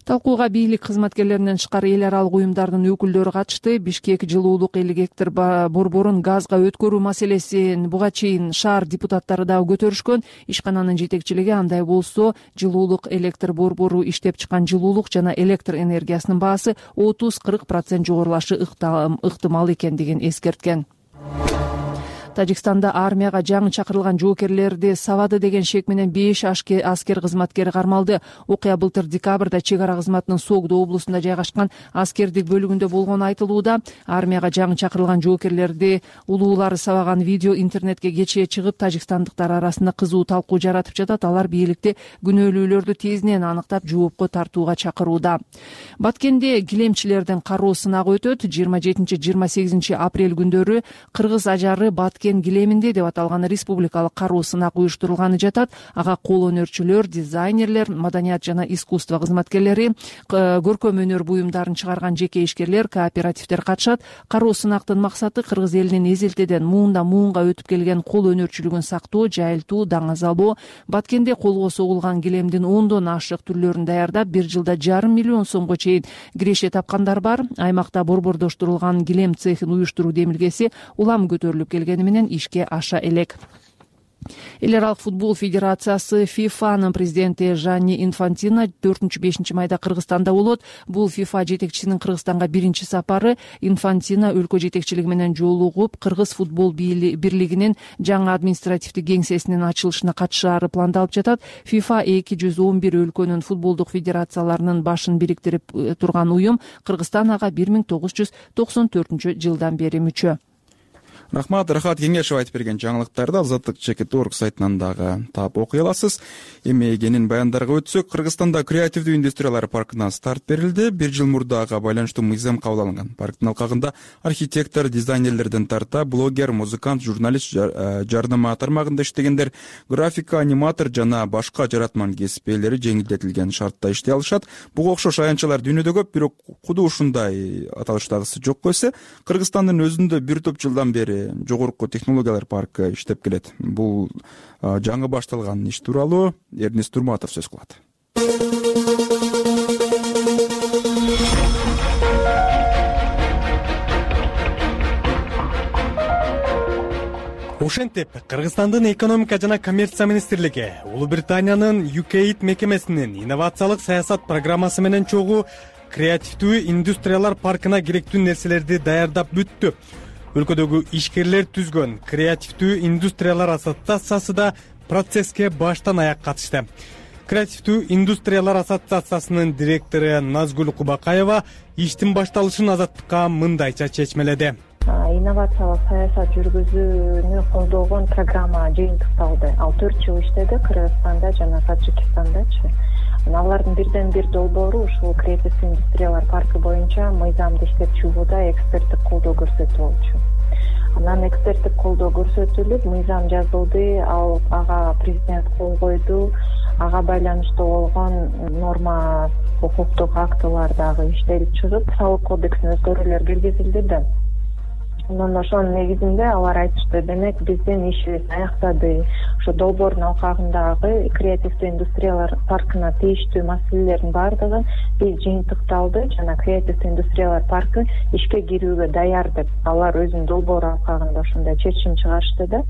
Талкууга бийлик кызматкерлеринен тышкары эл аралык уюмдардын өкүлдөрү катышты. Бишкек жылуулук электр борборун газга өткөрүү маселесин буга чейин шаар депутаттары дагы көтөрүшкөн. Ишкананын жетекчилиги андай болсо, жылуулук электр борбору иштеп чыккан жылуулук жана электр энергиясынын баасы отуз кырк процент жогорулашы ыктымал экендигин эскерткен. Тажикстанда армияга жаңы чакырылган жоокерлерди сабады деген шек менен беш аскер кызматкери кармалды. Окуя былтыр декабрда чек ара кызматынын Согдо облусунда жайгашкан аскердик бөлүгүндө болгону айтылууда. Армияга жаңы чакырылган жоокерлерди улуулары сабаган видео интернетке кечээ чыгып, тажикстандыктар арасында кызуу талкуу жаратып жатат. Алар бийликти күнөөлүүлөрдү тезинен аныктап жоопко тартууга чакырууда. Баткенде килемчилердин кароо сынагы өтөт. жыйырма жетинчи жыйырма сегизинчи апрель күндөрү кыргыз ажары Баткен мекен килеминде деп аталган республикалык кароо сынак уюштурулганы жатат. Ага кол өнөрчүлөр, дизайнерлер, маданият жана искусство кызматкерлери, көркөм өнөр буюмдарын чыгарган жеке ишкерлер, кооперативдер катышат. Кароо сынактын максаты кыргыз элинин эзелтеден муундан муунга өтүп келген кол өнөрчүлүгүн сактоо, жайылтуу, даңазалоо, баткенде колго согулган килемдин ондон ашык түрлөрүн даярдап, бир жылда жарым миллион сомго чейин киреше тапкандар бар. Аймакта борбордоштурулган килем цехин уюштуруу демилгеси улам көтөрүлүп келгени менен ишке аша элек. Эл аралык футбол федерациясы ФИФАнын президенти Жанни Инфантино төртүнчү бешинчи майда Кыргызстанда болот. Бул ФИФА жетекчисинин Кыргызстанга биринчи сапары. Инфантино өлкө жетекчилиги менен жолугуп, Кыргыз футбол бирлигинин жаңы административдик кеңсесинин ачылышына катышаары пландалып жатат. ФИФА эки жүз он бир өлкөнүн футболдук федерацияларынын башын бириктирип турган уюм. Кыргызстан ага бир миң тогуз жүз токсон төртүнчү жылдан бери мүчө. Рахмат, Рахат Кеңешев айтып берген жаңылыктарды азаттык чекит орг сайтынан дагы таап окуй аласыз. Эми кенен баяндарга өтсөк, Кыргызстанда креативдүү индустриялар паркына старт берилди. Бир жыл мурда ага байланыштуу мыйзам кабыл алынган. Парктын алкагында архитектор, дизайнерлерден тарта, блогер, музыкант, журналист, жарнама тармагында иштегендер, графика, аниматор жана башка жаратман кесип ээлери жеңилдетилген шартта иштей алышат. Буга окшош аянтчалар дүйнөдө көп, бирок куду ушундай аталыштагысы жок койсо, Кыргызстандын өзүндө бир топ жылдан бери жогорку технологиялар паркы иштеп келет. Бул жаңы башталган иш тууралуу Эрнест Турматов сөз кылат. Ошентип, Кыргызстандын экономика жана коммерция министрлиги Улуу Британиянын ю кей мекемесинин инновациялык саясат программасы менен чогуу креативдүү индустриялар паркына керектүү нерселерди даярдап бүттү. Өлкөдөгү ишкерлер түзгөн креативдүү индустриялар ассоциациясы да процесске баштан аяк катышты. Креативдүү индустриялар ассоциациясынын директору Назгүл Кубакаева иштин башталышын азаттыкка мындайча чечмеледи. Инновациялык саясат жүргүзүүнү колдогон программа жыйынтыкталды. Ал төрт жыл иштеди Кыргызстанда жана Таджикистандачы. Алардын бирден бир долбоору ушул креативдүү индустриялар паркы боюнча мыйзамды иштеп чыгууда эксперттик колдоо көрсөтүү болчу. Анан эксперттик колдоо көрсөтүлүп, мыйзам жазылды, ал ага президент кол койду. Ага байланыштуу болгон норма укуктук актылар дагы иштелип чыгып, салык кодексине өзгөрүүлөр киргизилди да. Анан ошонун негизинде алар айтышты, демек биздин ишибиз аяктады. Ошо долбоордун алкагындагы креативдүү индустриялар паркына тийиштүү маселелердин баардыгы биз жыйынтыкталды жана креативдүү индустриялар паркы ишке кирүүгө даяр деп алар өзүнүн долбоору алкагында ошондой чечим чыгарышты да.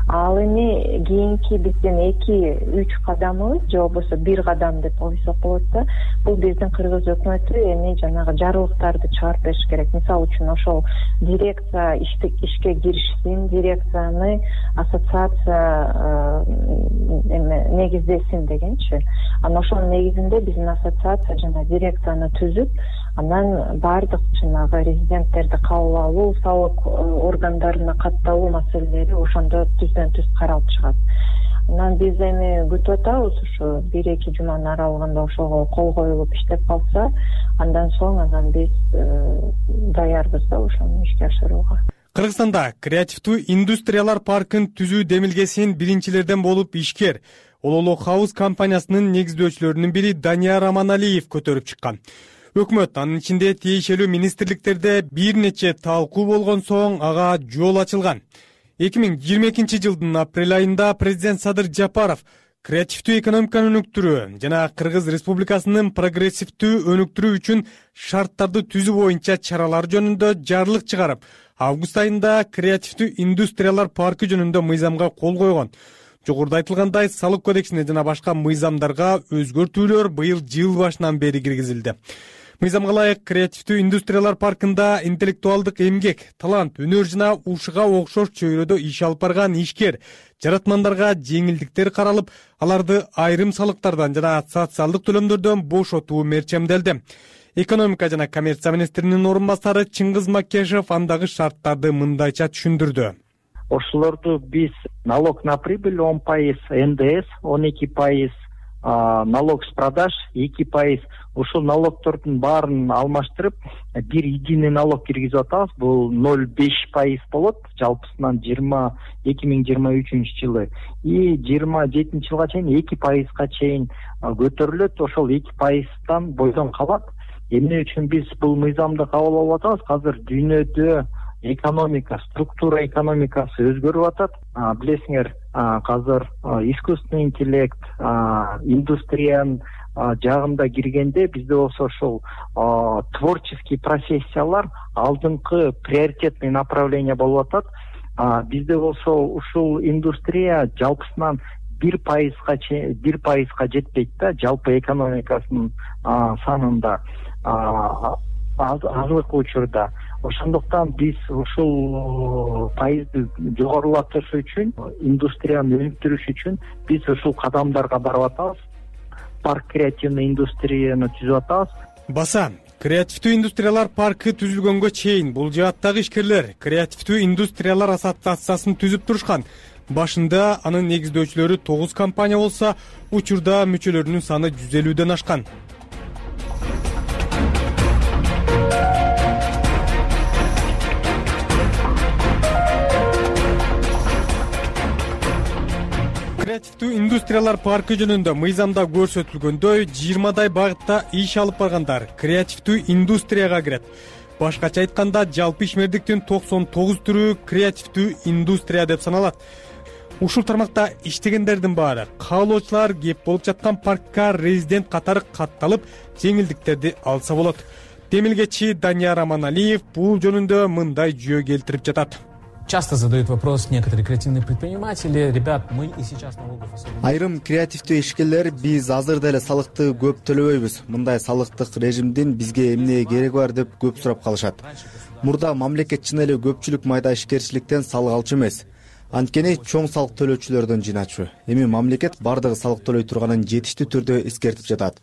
Ал эми кийинки биздин эки үч кадамыбыз же болбосо бир кадам деп койсок болот да. Бул биздин Кыргыз өкмөтү эми жанагы жарлыктарды чыгарып бериш керек. Мисалы үчүн ошол дирекция ишке киришсин, дирекцияны ассоциация эме негиздесин дегенчи. Анан ошонун негизинде биздин ассоциация жана дирекцияны түзүп, анан баардык жанагы резиденттерди кабыл алуу, салык органдарына катталуу маселелери ошондо түздөн түз каралып чыгат. Анан биз эми күтүп атабыз, ушу бир эки жуманын аралыгында ошого кол коюлуп иштеп калса, андан соң анан биз даярбыз да ошону ишке ашырууга. Кыргызстанда креативдүү индустриялар паркын түзүү демилгесин биринчилерден болуп ишкер Ололо Хаус компаниясынын негиздөөчүлөрүнүн бири Данияр Аманалиев көтөрүп чыккан. Өкмөт анын ичинде тиешелүү министрликтерде бир нече талкуу болгон соң ага жол ачылган. эки миң жыйырма экинчи жылдын апрель айында президент Садыр Жапаров креативдүү экономиканы өнүктүрүү жана Кыргыз Республикасынын прогрессивдүү өнүктүрүү үчүн шарттарды түзүү боюнча чаралар жөнүндө жарлык чыгарып, август айында креативдүү индустриялар паркы жөнүндө мыйзамга кол койгон. Жогоруда айтылгандай, салык кодексине жана башка мыйзамдарга өзгөртүүлөр быйыл жыл башынан бери киргизилди. Мыйзамга ылайык креативдүү индустриялар паркында интеллектуалдык эмгек, талант, өнөр жана ушуга окшош чөйрөдө иш алып барган ишкер, жаратмандарга жеңилдиктер каралып, аларды айрым салыктардан жана социалдык төлөмдөрдөн бошотуу мерчемделди. Экономика жана коммерция министринин орун басары Чыңгыз Макешев андагы шарттарды мындайча түшүндүрдү. Ошолорду биз налог на прибыль он пайыз, эн дэ эс он эки пайыз, налог с продаж эки пайыз. Ушул налогтордун баарын алмаштырып бир единый налог киргизип атабыз. Бул ноль беш пайыз болот жалпысынан жыйырма эки миң жыйырма үчүнчү жылы. И жыйырма жетинчи жылга чейин эки пайызга чейин көтөрүлөт. Ошол эки пайыздан бойдон калат. Эмне үчүн биз бул мыйзамды кабыл алып атабыз? Азыр дүйнөдө экономика, структура экономикасы өзгөрүп атат. Билесиңер, азыр искусственный интеллект, индустриянын жагында киргенде бизде болсо ошол творческий профессиялар алдыңкы приоритетный направление болуп атат. Бизде болсо ушул индустрия жалпысынан бир пайызга бир пайызга жетпейт да, жалпы экономикасынын санында азыркы учурда. Ошондуктан биз ушул пайызды жогорулатыш үчүн, индустрияны өнүктүрүш үчүн биз ушул кадамдарга барып атабыз. Парк креативный индустрияны түзүп атабыз. Баса, креативдүү индустриялар паркы түзүлгөнгө чейин бул жааттагы ишкерлер креативдүү индустриялар ассоциациясын түзүп турушкан. Башында анын негиздөөчүлөрү тогуз компания болсо, учурда мүчөлөрүнүн саны жүз элүүдөн ашкан. Креативдүү индустриялар паркы жөнүндө мыйзамда көрсөтүлгөндөй жыйырмадай багытта иш алып баргандар креативдүү индустрияга кирет. Башкача айтканда, жалпы ишмердиктин токсон тогуз түрү креативдүү индустрия деп саналат. Ушул тармакта иштегендердин баары каалоочулар кеп болуп жаткан паркка резидент катары катталып, жеңилдиктерди алса болот. Демилгечи Данияр Аманалиев бул жөнүндө мындай жүйө келтирип жатат. Часто задают вопрос некоторые креативные предприниматели: ребят, мы и сейчас налогов особо... Айрым креативдүү ишкерлер: биз азыр деле салыкты көп төлөбөйбүз, мындай салыктык режимдин бизге эмне кереги бар деп көп сурап калышат. Мурда мамлекет чын эле көпчүлүк майда ишкерчиликтен салык алчу эмес, анткени чоң салык төлөөчүлөрдөн жыйначу. Эми мамлекет бардыгы салык төлөй турганын жетиштүү түрдө эскертип жатат.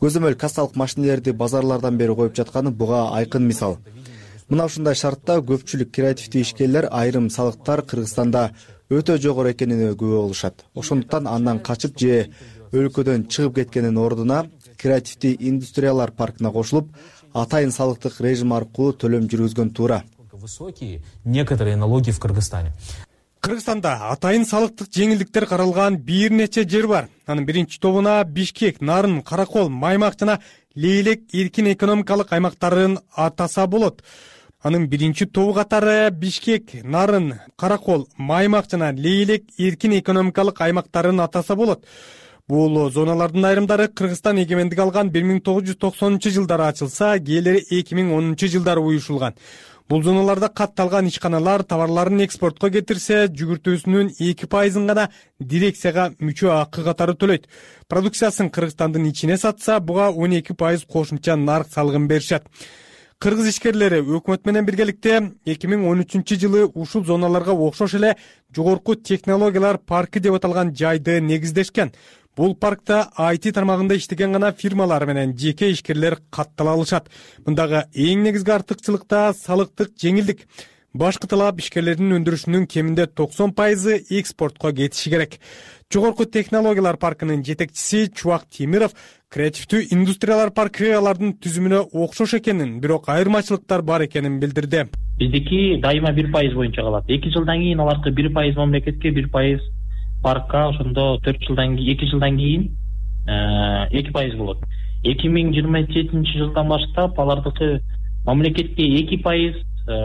Көзөмөл кассалык машинелерди базарлардан бери коюп жатканы буга айкын мисал. Мына ушундай шартта көпчүлүк креативдүү ишкерлер айрым салыктар Кыргызстанда өтө жогору экенине күбө болушат. Ошондуктан андан качып же өлкөдөн чыгып кеткенин ордуна креативдүү индустриялар паркына кошулуп, атайын салыктык режим аркылуу төлөм жүргүзгөн туура. Высокие некоторые налоги в Кыргызстане. Кыргызстанда атайын салыктык жеңилдиктер каралган бир нече жер бар. Анын биринчи тобуна Бишкек, Нарын, Каракол, Маймак жана Лейлек эркин экономикалык аймактарын атаса болот. Анын биринчи тобу катары Бишкек, Нарын, Каракол, Маймак жана Лейлек эркин экономикалык аймактарын атаса болот. Бул зоналардын айрымдары Кыргызстан эгемендик алган бир миң тогуз жүз токсонунчу жылдары ачылса, кээрлери эки миң онунчу жылдары уюшулган. Бул зоналарда катталган ишканалар товарларын экспортко кетирсе, жүгүртүүсүнүн эки пайызын гана дирекцияга мүчө акы катары төлөйт. Продукциясын Кыргызстандын ичине сатса, буга он эки пайыз кошумча нарк салыгын беришет. Кыргыз ишкерлери өкмөт менен биргеликте эки миң он үчүнчү жылы ушул зоналарга окшош эле жогорку технологиялар паркы деп аталган жайды негиздешкен. Бул паркта ай ти тармагында иштеген гана фирмалар менен жеке ишкерлер каттала алышат. Мындагы эң негизги артыкчылыкта салыктык жеңилдик. Башкы талап ишкерлердин өндүрүшүнүн кеминде токсон пайызы экспортко кетиши керек. Жогорку технологиялар паркынын жетекчиси Чубак Темиров креативдүү индустриялар паркы алардын түзүмүнө окшош экенин, бирок айырмачылыктар бар экенин билдирди. Биздики дайыма бир пайыз боюнча калат. эки жылдан кийин аларкы бир пайыз мамлекетке, бир пайыз паркка, ошондо төрт жылдан кийин, эки жылдан кийин эки пайыз болот. эки миң жыйырма жетинчи жылдан баштап алардыкы мамлекетке эки пайыз,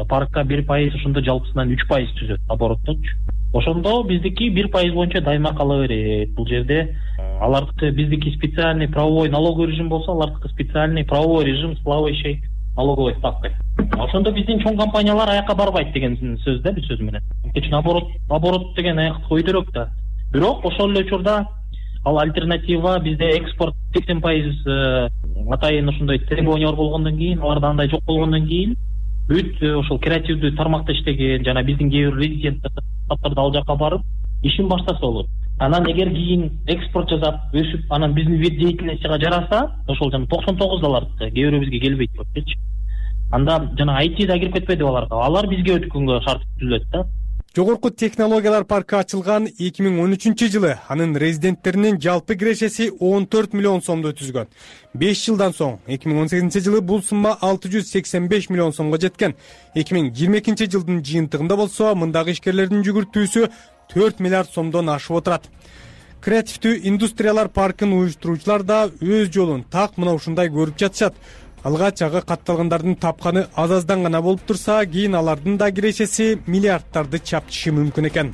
паркка бир пайыз, ошондо жалпысынан үч пайыз түзөт обороттончу. Ошондо биздики бир пайыз боюнча дайыма кала берет. Бул жерде алардыкы биздики специальный правовой налоговый режим болсо, алардыкы специальный правовой режим с плавающей налоговой ставкой. Ошондо биздин чоң компаниялар аякка барбайт деген сөз да, бир сөз менен. Үчүн оборот, оборот деген аякты көйдөрөк да. Бирок ошол эле учурда ал альтернатива бизде экспорт сексен пайыз атайын ошондой требованиялар болгондон кийин, аларда андай жок болгондон кийин бүт ошол креативдүү тармакта иштеген жана биздин кээ бир резиденттер ал жака барып ишин баштаса болот. Анан эгер кийин экспорт жасап, өсүп, анан биздин вид деятельностьга жараса, ошол жана токсон тогуз алардыкы, кээ бирөө бизге келбейт болчу. Анда жана ай ти да кирип кетпеди аларга. Алар бизге өткөнгө шарт түзүлөт да. Жогорку технологиялар паркы ачылган эки миң он үчүнчү жылы анын резиденттеринин жалпы кирешеси он төрт миллион сомду түзгөн. беш жылдан соң эки миң он сегизинчи жылы бул сумма алты жүз сексен беш миллион сомго жеткен. эки миң жыйырма экинчи жылдын жыйынтыгында болсо мындагы ишкерлердин жүгүртүүсү төрт миллиард сомдон ашып отурат. Креативдүү индустриялар паркын уюштуруучулар да өз жолун так мына ушундай көрүп жатышат. Алгач ага катталгандардын тапканы аз-аздан гана болуп турса, кийин алардын да кирешеси миллиардтарды чаптышы мүмкүн экен.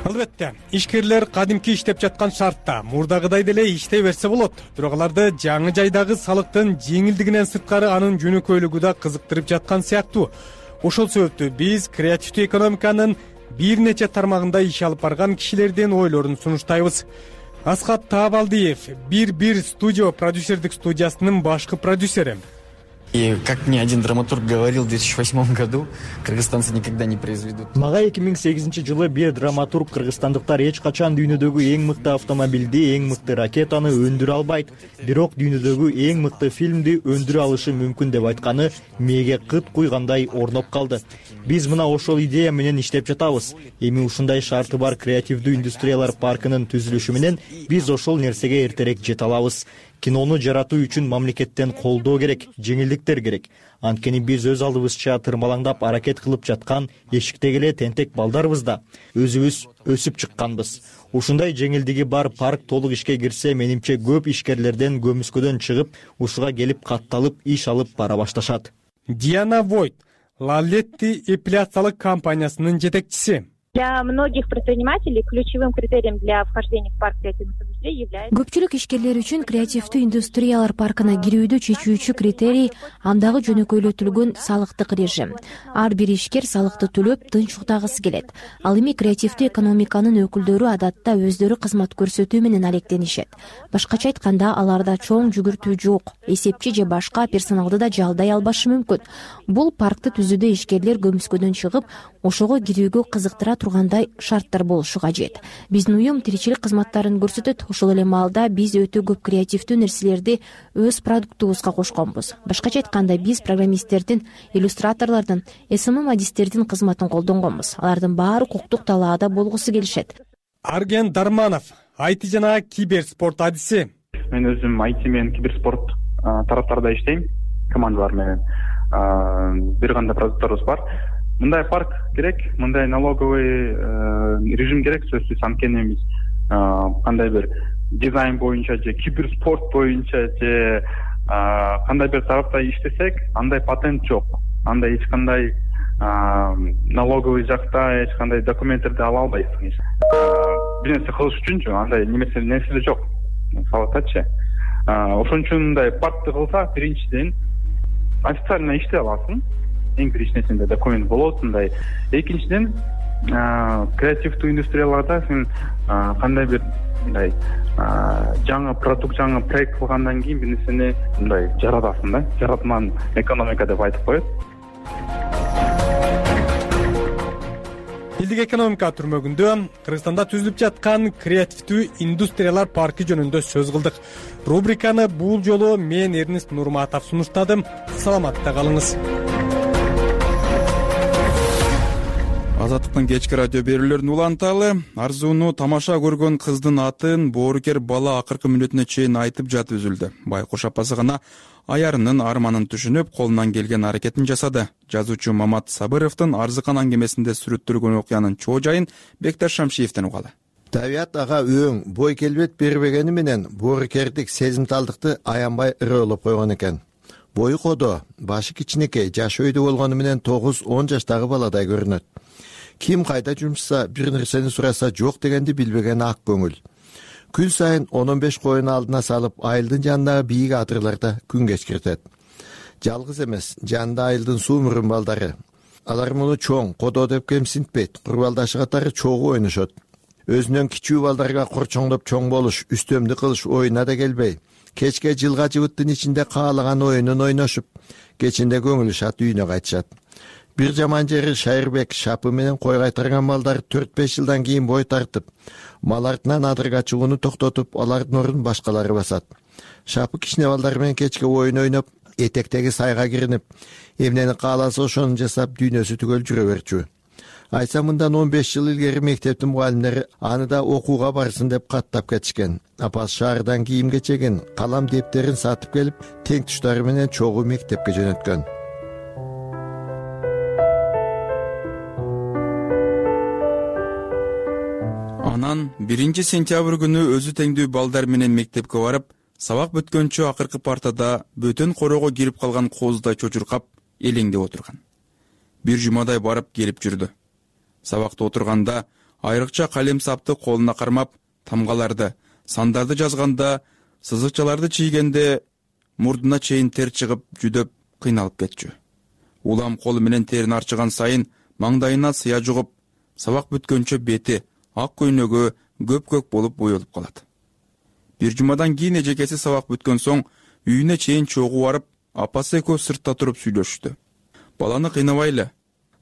Албетте, ишкерлер кадимки иштеп жаткан шартта мурдагыдай деле иштей берсе болот. Бирок аларды жаңы жайдагы салыктын жеңилдигинен сырткары анын жөнөкөйлүгү да кызыктырып жаткан сыяктуу. Ошол себептүү биз креативдүү экономиканын бир нече тармагында иш алып барган кишилердин ойлорун сунуштайбыз. Аскат Таабалдиев, бир бир студио продюсердик студиясынын башкы продюсери. И как мне один драматург говорил в две тысячи восьмом году, кыргызстанцы никогда не произведут. Мага эки миң сегизинчи жылы бир драматург кыргызстандыктар эч качан дүйнөдөгү эң мыкты автомобилди, эң мыкты ракетаны өндүрө албайт, бирок дүйнөдөгү эң мыкты фильмди өндүрө алышы мүмкүн деп айтканы мээге кыт куйгандай орноп калды. Биз мына ошол идея менен иштеп жатабыз. Эми ушундай шарты бар креативдүү индустриялар паркынын түзүлүшү менен биз ошол нерсеге эртерээк жете алабыз. Кинону жаратуу үчүн мамлекеттен колдоо керек, жеңилдиктер керек. Анткени биз өз алдыбызча тырмалаңдап аракет кылып жаткан эшиктеги эле тентек балдарбыз да. Өзүбүз өсүп чыкканбыз. Ушундай жеңилдиги бар парк толук ишке кирсе, менимче көп ишкерлерден көмүскөдөн чыгып, ушуга келип катталып иш алып бара башташат. Диана Войт, Лалетти эпиляциялык компаниясынын жетекчиси. Для многих предпринимателей ключевым критерием для вхождения в парк креативных индустрий является... Көпчүлүк ишкерлер үчүн креативдүү индустриялар паркына кирүүдө чечүүчү критерий андагы жөнөкөйлөтүлгөн салыктык режим. Ар бир ишкер салыкты төлөп тынч уктагысы келет. Ал эми креативдүү экономиканын өкүлдөрү адатта өздөрү кызмат көрсөтүү менен алектенишет. Башкача айтканда, аларда чоң жүгүртүү жок, эсепчи же башка персоналды да жалдай албашы мүмкүн. Бул паркты түзүүдө ишкерлер көмүскөдөн чыгып, ошого кирүүгө кызыктыра тургандай шарттар болушу кажет. Биздин уюм тиричилик кызматтарын көрсөтөт. Ошол эле маалда биз өтө көп креативдүү нерселерди өз продуктубузга кошконбуз. Башкача айтканда, биз программисттердин, иллюстраторлордун, эс эм эм адистердин кызматын колдонгонбуз. Алардын баары укуктук талаада болгусу келишет. Арген Дарманов, ай ти жана киберспорт адиси. Мен өзүм ай ти менен киберспорт тараптарда иштейм, командалар менен. Бир кандай продукторубуз бар. Мындай парк керек, мындай налоговый режим керек, сөзсүз. Анткени биз кандай бир дизайн боюнча же киберспорт боюнча же кандай бир тарапта иштесек, андай патент жок. Андай эч кандай налоговый жакта эч кандай документтерди ала албайсың. Бир нерсе кылыш үчүнчү андай немесе нерсе жок. Салатачы. Ошон үчүн мындай паркты кылса, биринчиден официально иштей аласың. Эң биринчисинде документ болот, мындай. Экинчиден, креативдүү индустрияларда сен кандай бир мындай жаңы продукт, жаңы проект кылгандан кийин бир нерсени мындай жаратасың да, жаратман экономика деп айтып коет. Элдик экономика түрмөгүндө Кыргызстанда түзүлүп жаткан креативдүү индустриялар паркы жөнүндө сөз кылдык. Рубриканы бул жолу мен Эрнест Нурматов сунуштадым. Саламатта калыңыз. Азаттыктын кечки радио берүүлөрүн уланталы. Арзууну тамаша көргөн кыздын атын боорукер бала акыркы мүнөтүнө чейин айтып жатып үзүлдү. Байкуш апасы гана аярынын арманын түшүнүп, колунан келген аракетин жасады. Жазуучу Мамат Сабыровдун Арзыкан аңгемесинде сүрөттөлгөн окуянын чоо жайын Бекташ Шамшиевден угалы. Табият ага өң, бой келбет бербегени менен боорукердик сезимталдыкты аянбай ырыылып койгон экен. Бою кодо, башы кичинекей, жашы өйдө болгону менен тогуз он жаштагы баладай көрүнөт. Ким кайда жумшаса, бир нерсени сураса жок дегенди билбеген ак көңүл. Күн сайын он он беш коюн алдына салып, айылдын жанындагы бийик атырларда күн кечиртет. Жалгыз эмес, жанында айылдын суумурун балдары. Алар муну чоң, кодо деп кемсинтпейт, курбалдашы катары чогуу ойношот. Өзүнөн кичүү балдарга корчоңдоп чоң болуш, үстөмдү кылыш оюна да келбей, кечке жылга жыбыттын ичинде каалаган оюнун ойношуп, кечинде көңүлү шат үйүнө кайтышат. Бир жаман жери Шайырбек шапы менен кой кайтарган балдар төрт беш жылдан кийин бой тартып, мал артынан адырга чыгууну токтотуп, алардын ордун башкалары басат. Шапы кичине балдар менен кечки оюн ойноп, этектеги сайга киринип, эмнени кааласа ошону жасап дүйнөсү түгөл жүрө берчү. Айса мындан он беш жыл илгери мектептин мугалимдери аны да окууга барсын деп каттап кетишкен. Апасы шаардан кийим кечегин, калам дептерин сатып келип, тең туштары менен чогуу мектепке жөнөткөн. Анан биринчи сентябрь күнү өзү теңдүү балдар менен мектепке барып, сабак бүткөнчө акыркы партада бөтөн корого кирип калган кооздай чочуркап, элеңдеп отурган. Бир жумадай барып келип жүрдү. Сабакта отурганда айрыкча калем сапты колуна кармап, тамгаларды, сандарды жазганда, сызыкчаларды чийгенде мурдуна чейин тер чыгып, жүдөп, кыйналып кетчү. Улам колу менен терин арчыган сайын маңдайына сыя жугуп, сабак бүткөнчө бети, ак көйнөгү көп-көк болуп боелуп калат. Бир жумадан кийин эжекеси сабак бүткөн соң үйүнө чейин чогуу барып, апасы экөө сыртта туруп сүйлөшүштү. Баланы кыйнабайлы,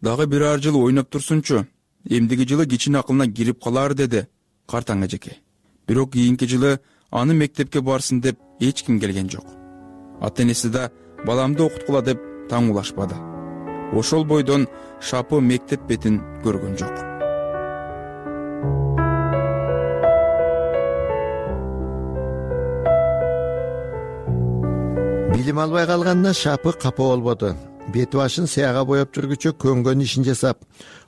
дагы бир ар жыл ойноп турсунчу, эмдиги жылы кичине акылына кирип калар, деди картаң эжеке. Бирок кийинки жылы аны мектепке барсын деп эч ким келген жок. Ата-энеси да баламды окуткула деп таңуулашпады. Ошол бойдон Шапы мектеп бетин көргөн жок. Билим албай калганына Шапы капа болбоду. Бети башын сыяга боеп жүргүчө көнгөн ишин жасап,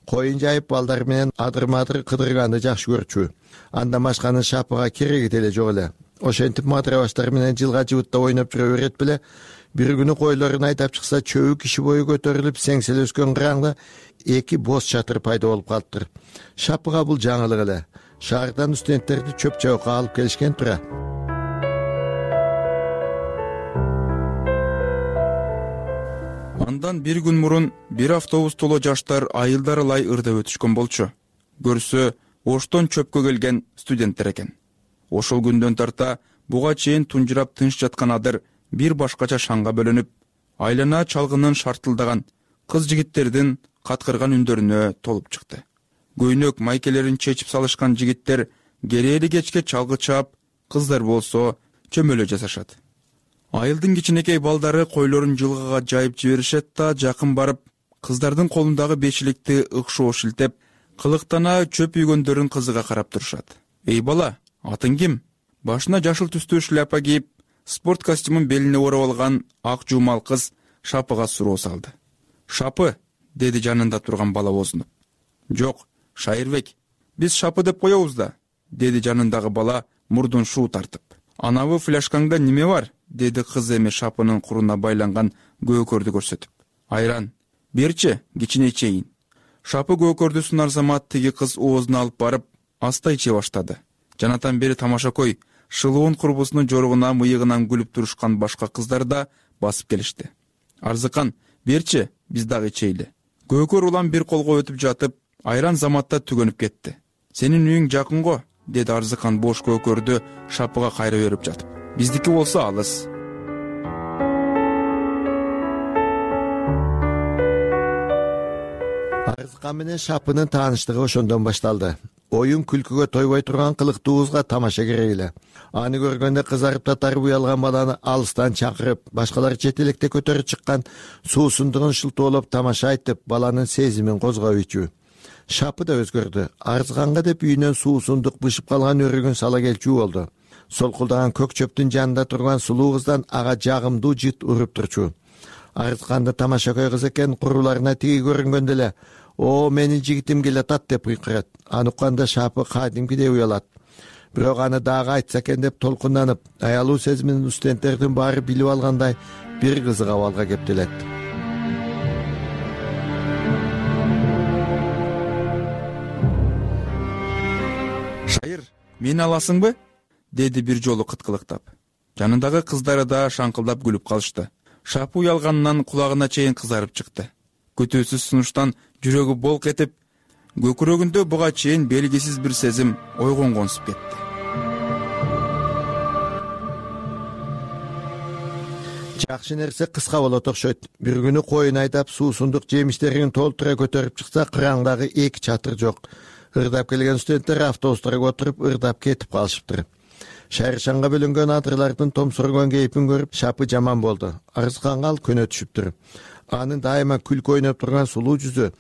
коюн жайып балдар менен адыр-мадыр кыдырганды жакшы көрчү. Андан башканы Шапыга кереги деле жок эле. Ошентип мадыра баштар менен жылга жыбытта ойноп жүрө берет беле. Бир күнү койлорун айдап чыкса, чөбү киши бою көтөрүлүп, сеңсел өскөн кыраңда эки боз чатыр пайда болуп калыптыр. Шапыга бул жаңылык эле. Шаардан студенттерди чөп чабыкка алып келишкен тура. Андан бир күн мурун бир автобус толо жаштар айылдар ылай ырдап өтүшкөн болчу. Көрсө, Оштон чөпкө келген студенттер экен. Ошол күндөн тарта буга чейин тунжурап тынч жаткан адыр бир башкача шаңга бөлөнүп, айлана чалгынын шартылдаган, кыз жигиттердин каткырган үндөрүнө толуп чыкты. Көйнөк майкелерин чечип салышкан жигиттер керээли кечке чалгы чаап, кыздар болсо чөмөлө жасашат. Айылдын кичинекей балдары койлорун жылгага жайып жиберишет да, жакын барып, кыздардын колундагы бешиликти ыкшоо шилтеп, кылыктана чөп үйгөндөрүн кызыга карап турушат. Эй бала, атың ким? Башына жашыл түстүү шляпа кийип, спорт костюмун белине ороп алган ак жуумал кыз Шапыга суроо салды. Шапы, деди жанында турган бала бозунуп. Жок, Шайырбек, биз Шапы деп коебуз да, деди жанындагы бала мурдун шуу тартып. Анабы фляшкаңда неме бар? Деди кыз эми Шапынын куруна байланган көкөрдү көрсөтүп. Айран, берчи, кичине ичейин. Шапы көкөрдү сунар замат тиги кыз оозуна алып барып, аста иче баштады. Жанатан бери тамашакой, шылуун курбусунун жоругуна мыйыгынан күлүп турушкан башка кыздар да басып келишти. Арзыкан, берчи, биз дагы ичейли. Көкөр улам бир колго өтүп жатып, айран заматта түгөнүп кетти. Сенин үйүң жакын го, деди Арзыкан бош көкөрдү Шапыга кайра берип жатып. Биздики болсо алыс. Арзыкан менен Шапынын тааныштыгы ошондон башталды. Оюн күлкүгө тойбой турган кылыктуубузга тамаша керек эле. Аны көргөндө кызарып татарып уялган баланы алыстан чакырып, башкалар чет электе көтөрүп чыккан суусундугун шылтоолоп тамаша айтып, баланын сезимин козгоп ийчү. Шапы да өзгөрдү. Арзыканга деп үйүнөн суусундук бышып калган өрүгүн сала келчү болду. Солкулдаган көк чөптүн жанында турган сулуу кыздан ага жагымдуу жыт уруп турчу. Арзыканды тамашакөй кыз экен, куруларына тиги көрүнгөндө эле «О, менин жигитим келатат» деп кыйкырат. Аны укканда Шапы кадимкидей уялат. Бирок аны дагы айтса экен деп толкунданып, аялуу сезимин студенттердин баары билип алгандай бир кызык абалга кептелет. Шайыр, мени аласыңбы? Деди бир жолу кыткылыктап. Жанындагы кыздары да шаңкылдап күлүп калышты. Шапы уялганынан кулагына чейин кызарып чыкты. Көтөөсүз сунуштан жүрөгү болк этип, көкүрөгүндө буга чейин белгисиз бир сезим ойгонгонсуп кетти. Жакшы нерсе кыска болот окшойт. Бир күнү коюн айдап, суусундук жемиштерин толтура көтөрүп чыкса, кыраңдагы эки чатыр жок. Ырдап келген студенттер автобустарга отуруп ырдап кетип калышыптыр. Шайршанга бөлөнгөн адырлардын томсургон кейпин көрүп Шапы жаман болду. Арзыканга ал көнө түшүптүр. Анын дайыма күлкү ойноп турган сулуу жүзү,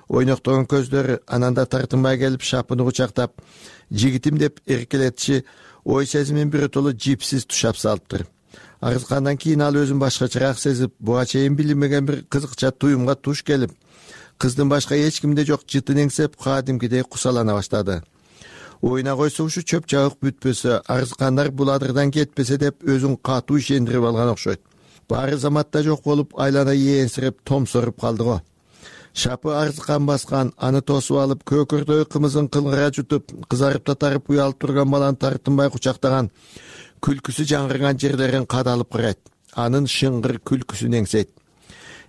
ойноктогон көздөрү ананда тартынбай келип Шапыны кучактап, жигитим деп эркелетиши ой сезимин биротоло жипсиз тушап салыптыр. Арзыкандан кийин ал өзүн башкачараак сезип, буга чейин билинбеген бир кызыкча туюмга туш келип, кыздын башка эч кимде жок жытын эңсеп, кадимкидей кусалана баштады. Ойна койсо ушу чөп чабык бүтпөсө, Арзыкандар бул адырдан кетпесе деп өзүн катуу ишендирип алган окшойт. Баары заматта жок болуп, айлана ээнсирип, томсоруп калды го. Шапы Арзыкан баскан, аны тосуп алып, көкөрдөй кымызын кылгыра жутуп, кызарып татарып уялып турган баланы тартынбай кучактаган, күлкүсү жаңырган жерлерин кадалып карайт. Анын шыңгыр күлкүсүн эңсейт.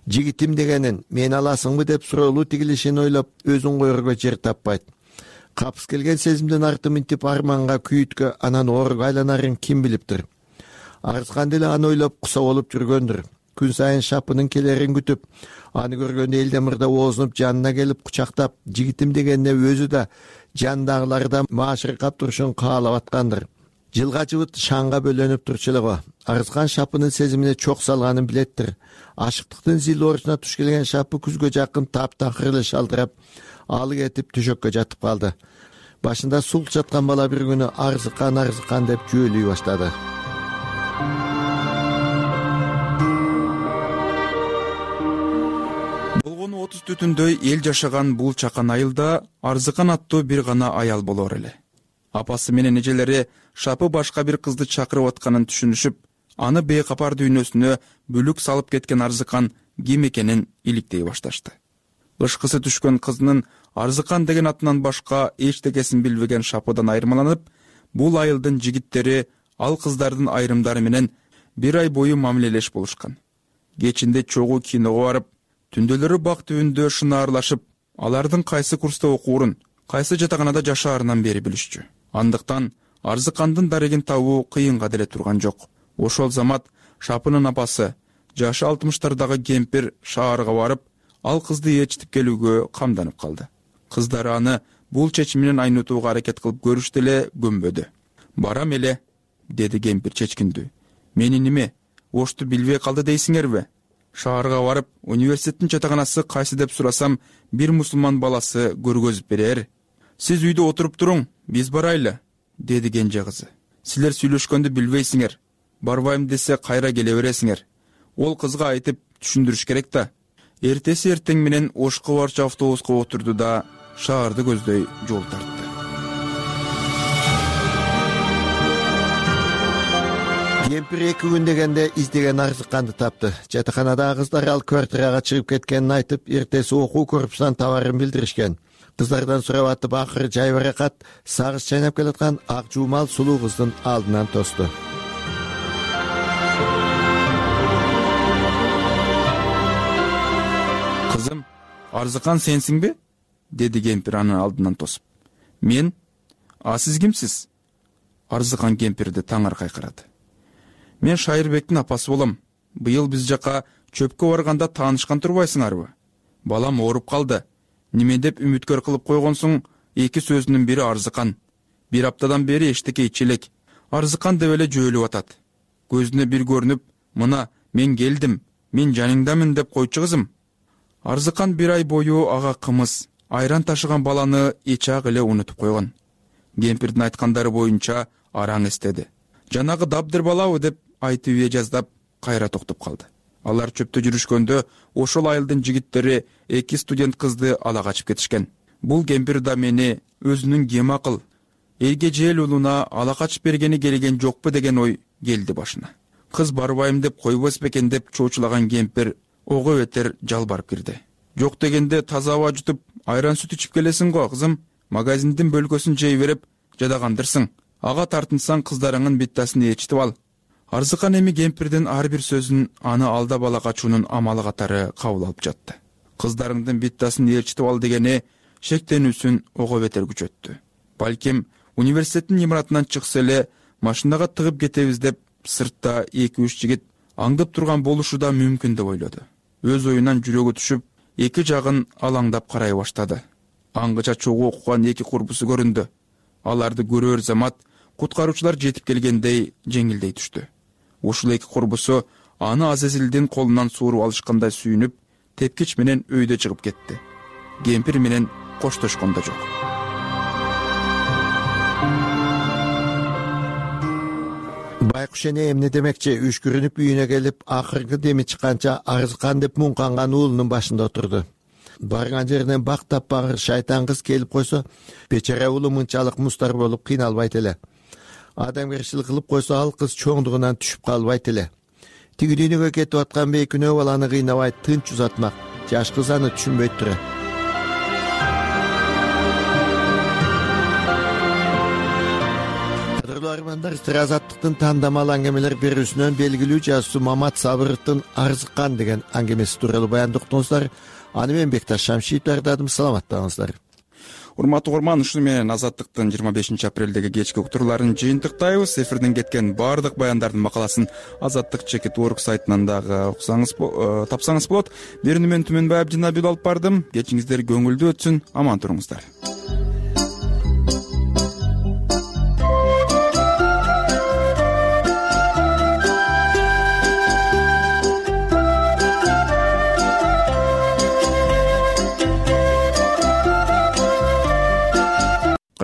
Жигитим дегенин, мен аласыңбы деп суроолуу тигилишин ойлоп, өзүн коерго жер таппайт. Капыс келген сезимден арты минтип арманга, күйүткө, анан оорго айланарын ким билиптир. Арзыкан деле аны ойлоп куса болуп жүргөндүр. Күн сайын Шапынын келерин күтүп, аны көргөндө элден мырда оозунуп жанына келип кучактап, жигитим дегенине өзү да жандагылардан маашыркап турушун каалап аткандыр. Жылга жыбыт шаңга бөлөнүп турчу эле го. Арзыкан Шапынын сезимине чок салганын билеттир. Ашыктыктын зил орусуна туш келген Шапы күзгө жакын таптакыр эле шалдырап, алы кетип төшөккө жатып калды. Башында султ жаткан бала бир күнү Арзыкан, Арзыкан деп жөөлүй баштады. Болгону отуз түтүндөй эл жашаган бул чакан айылда Арзыкан аттуу бир гана аял болор эле. Апасы менен эжелери Шапы башка бир кызды чакырып атканын түшүнүшүп, аны бейкапар дүйнөсүнө бүлүк салып кеткен Арзыкан ким экенин иликтей башташты. Ышкысы түшкөн кызынын Арзыкан деген атынан башка эчтекесин билбеген Шапыдан айырмаланып, бул айылдын жигиттери ал кыздардын айрымдары менен бир ай бою мамилелеш болушкан. Кечинде чогуу киного барып, түндөлөрү бак түбүндө шынаарлашып, алардын кайсы курста окуурун, кайсы жатаканада жашаарынан бери билишчү. Андыктан Арзыкандын дарегин табуу кыйынга деле турган жок. Ошол замат Шапынын апасы, жашы алтымыштардагы кемпир шаарга барып, ал кызды ээрчитип келүүгө камданып калды. Кыздары аны бул чечиминен айнытууга аракет кылып көрүштү эле, көнбөдү. Барам эле, деди кемпир чечкиндүү. Мени неме, ошту билбей калды дейсиңерби? Шаарга барып, университеттин жатаканасы кайсы деп сурасам, бир мусулман баласы көргөзүп берер. Сиз үйдө отуруп туруң, биз барайлы, деди кенже кызы. Силер сүйлөшкөндү билбейсиңер. Барбайм десе кайра келе бересиңер. Ол кызга айтып түшүндүрүш керек да. Эртеси эртең менен Ошко барчу автобуска отурду да шаарды көздөй жол тартты. Кемпир эки күн дегенде издеген Арзыканды тапты. Жатаканадагы кыздар ал квартирага чыгып кеткенин айтып, эртеси окуу корпусунан табарын билдиришкен. Кыздардан сурап атып, акыры жайбаракат сагыз чайнап келаткан ак жуумал сулуу кыздын алдынан тосту. Кызым, Арзыкан сенсиңби? Деди кемпир анын алдынан тосуп. Мен? А сиз кимсиз? Арзыкан кемпирди таңар кайкырады. Мен Шайырбектин апасы болом. Быйыл биз жака чөпкө барганда таанышкан турбайсыңарбы? Балам ооруп калды. Неме деп үмүткөр кылып койгонсуң? Эки сөзүнүн бири Арзыкан. Бир аптадан бери эчтеке ич элек. Арзыкан деп эле жөөлүп атат. Көзүнө бир көрүнүп, мына мен келдим, мен жаныңдамын деп койчу кызым. Арзыкан бир ай бою ага кымыз, айран ташыган баланы эчак эле унутуп койгон. Кемпирдин айткандары боюнча араң эстеди. Жанагы дабдыр балабы деп айтып ээ жаздап кайра токтоп калды. Алар чөптө жүрүшкөндө ошол айылдын жигиттери эки студент кызды ала качып кетишкен. Бул кемпир да мени өзүнүн кем акыл, элге жeel улуна ала качып бергени келген жокпу деген ой келди башына. Кыз барбайм деп койбос бекен деп чоочулаган кемпир ого бетер жалбарып кирди. Жок дегенде таза аба жутуп, айран сүт ичип келесиң го кызым, магазиндин бөлкөсүн жей берип жадагандырсың. Ага тартынсаң кыздарыңын биттасын ээрчитип ал. Арзыкан эми кемпирдин ар бир сөзүн аны алда бала качуунун амалы катары кабыл алып жатты. Кыздарыңдын биттасын ээрчитип ал дегени шектенүүсүн ого бетер күчөттү. Балким университеттин имаратынан чыкса эле машинага тыгып кетебиз деп сыртта эки үч жигит аңдып турган болушу да мүмкүн деп ойлоду. Өз оюнан жүрөгү түшүп, эки жагын алаңдап карай баштады. Аңгыча чогуу окуган эки курбусу көрүндү. Аларды көрөр замат куткаруучулар жетип келгендей жеңилдей түштү. Ушул эки курбусу аны Азазилдин колунан сууруп алышкандай сүйүнүп, тепкич менен өйдө чыгып кетти. Кемпир менен коштошкон да жок. Байкуш эне эмне демекчи, үшкүрүнүп үйүнө келип, акыркы деми чыкканча арызкан деп муңканган уулунун башында отурду. Барган жеринен бак таппагыр шайтан кыз келип койсо, бечара уулу мынчалык мустар болуп кыйналбайт эле. Адамгерчилик кылып койсо, ал кыз чоңдугунан түшүп калбайт эле. Тиги дүйнөгө кетип аткан бейкүнөө баланы кыйнабай тынч узатмак. Жаш кыз аны түшүнбөйт турат. Армандар сыр азаттыктын тандамал аңгемелер берүүсүнөн белгилүү жазуучу Мамат Сабыровдун Арзыккан деген аңгемеси тууралуу баянды уктуңуздар. Аны мен Бекташ Шамшиев даярдадым. Саламаттаңыздар. Урматтуу угарман, ушуну менен Азаттыктын жыйырма бешинчи апрелдеги кечки уктурууларын жыйынтыктайбыз. Эфирден кеткен баардык баяндардын макаласын Азаттык чекит орг сайтынан дагы уксаңыз, тапсаңыз болот. Берүүнү мен Түмөнбай Абдинабил алып бардым. Кечиңиздер көңүлдүү өтсүн, аман туруңуздар.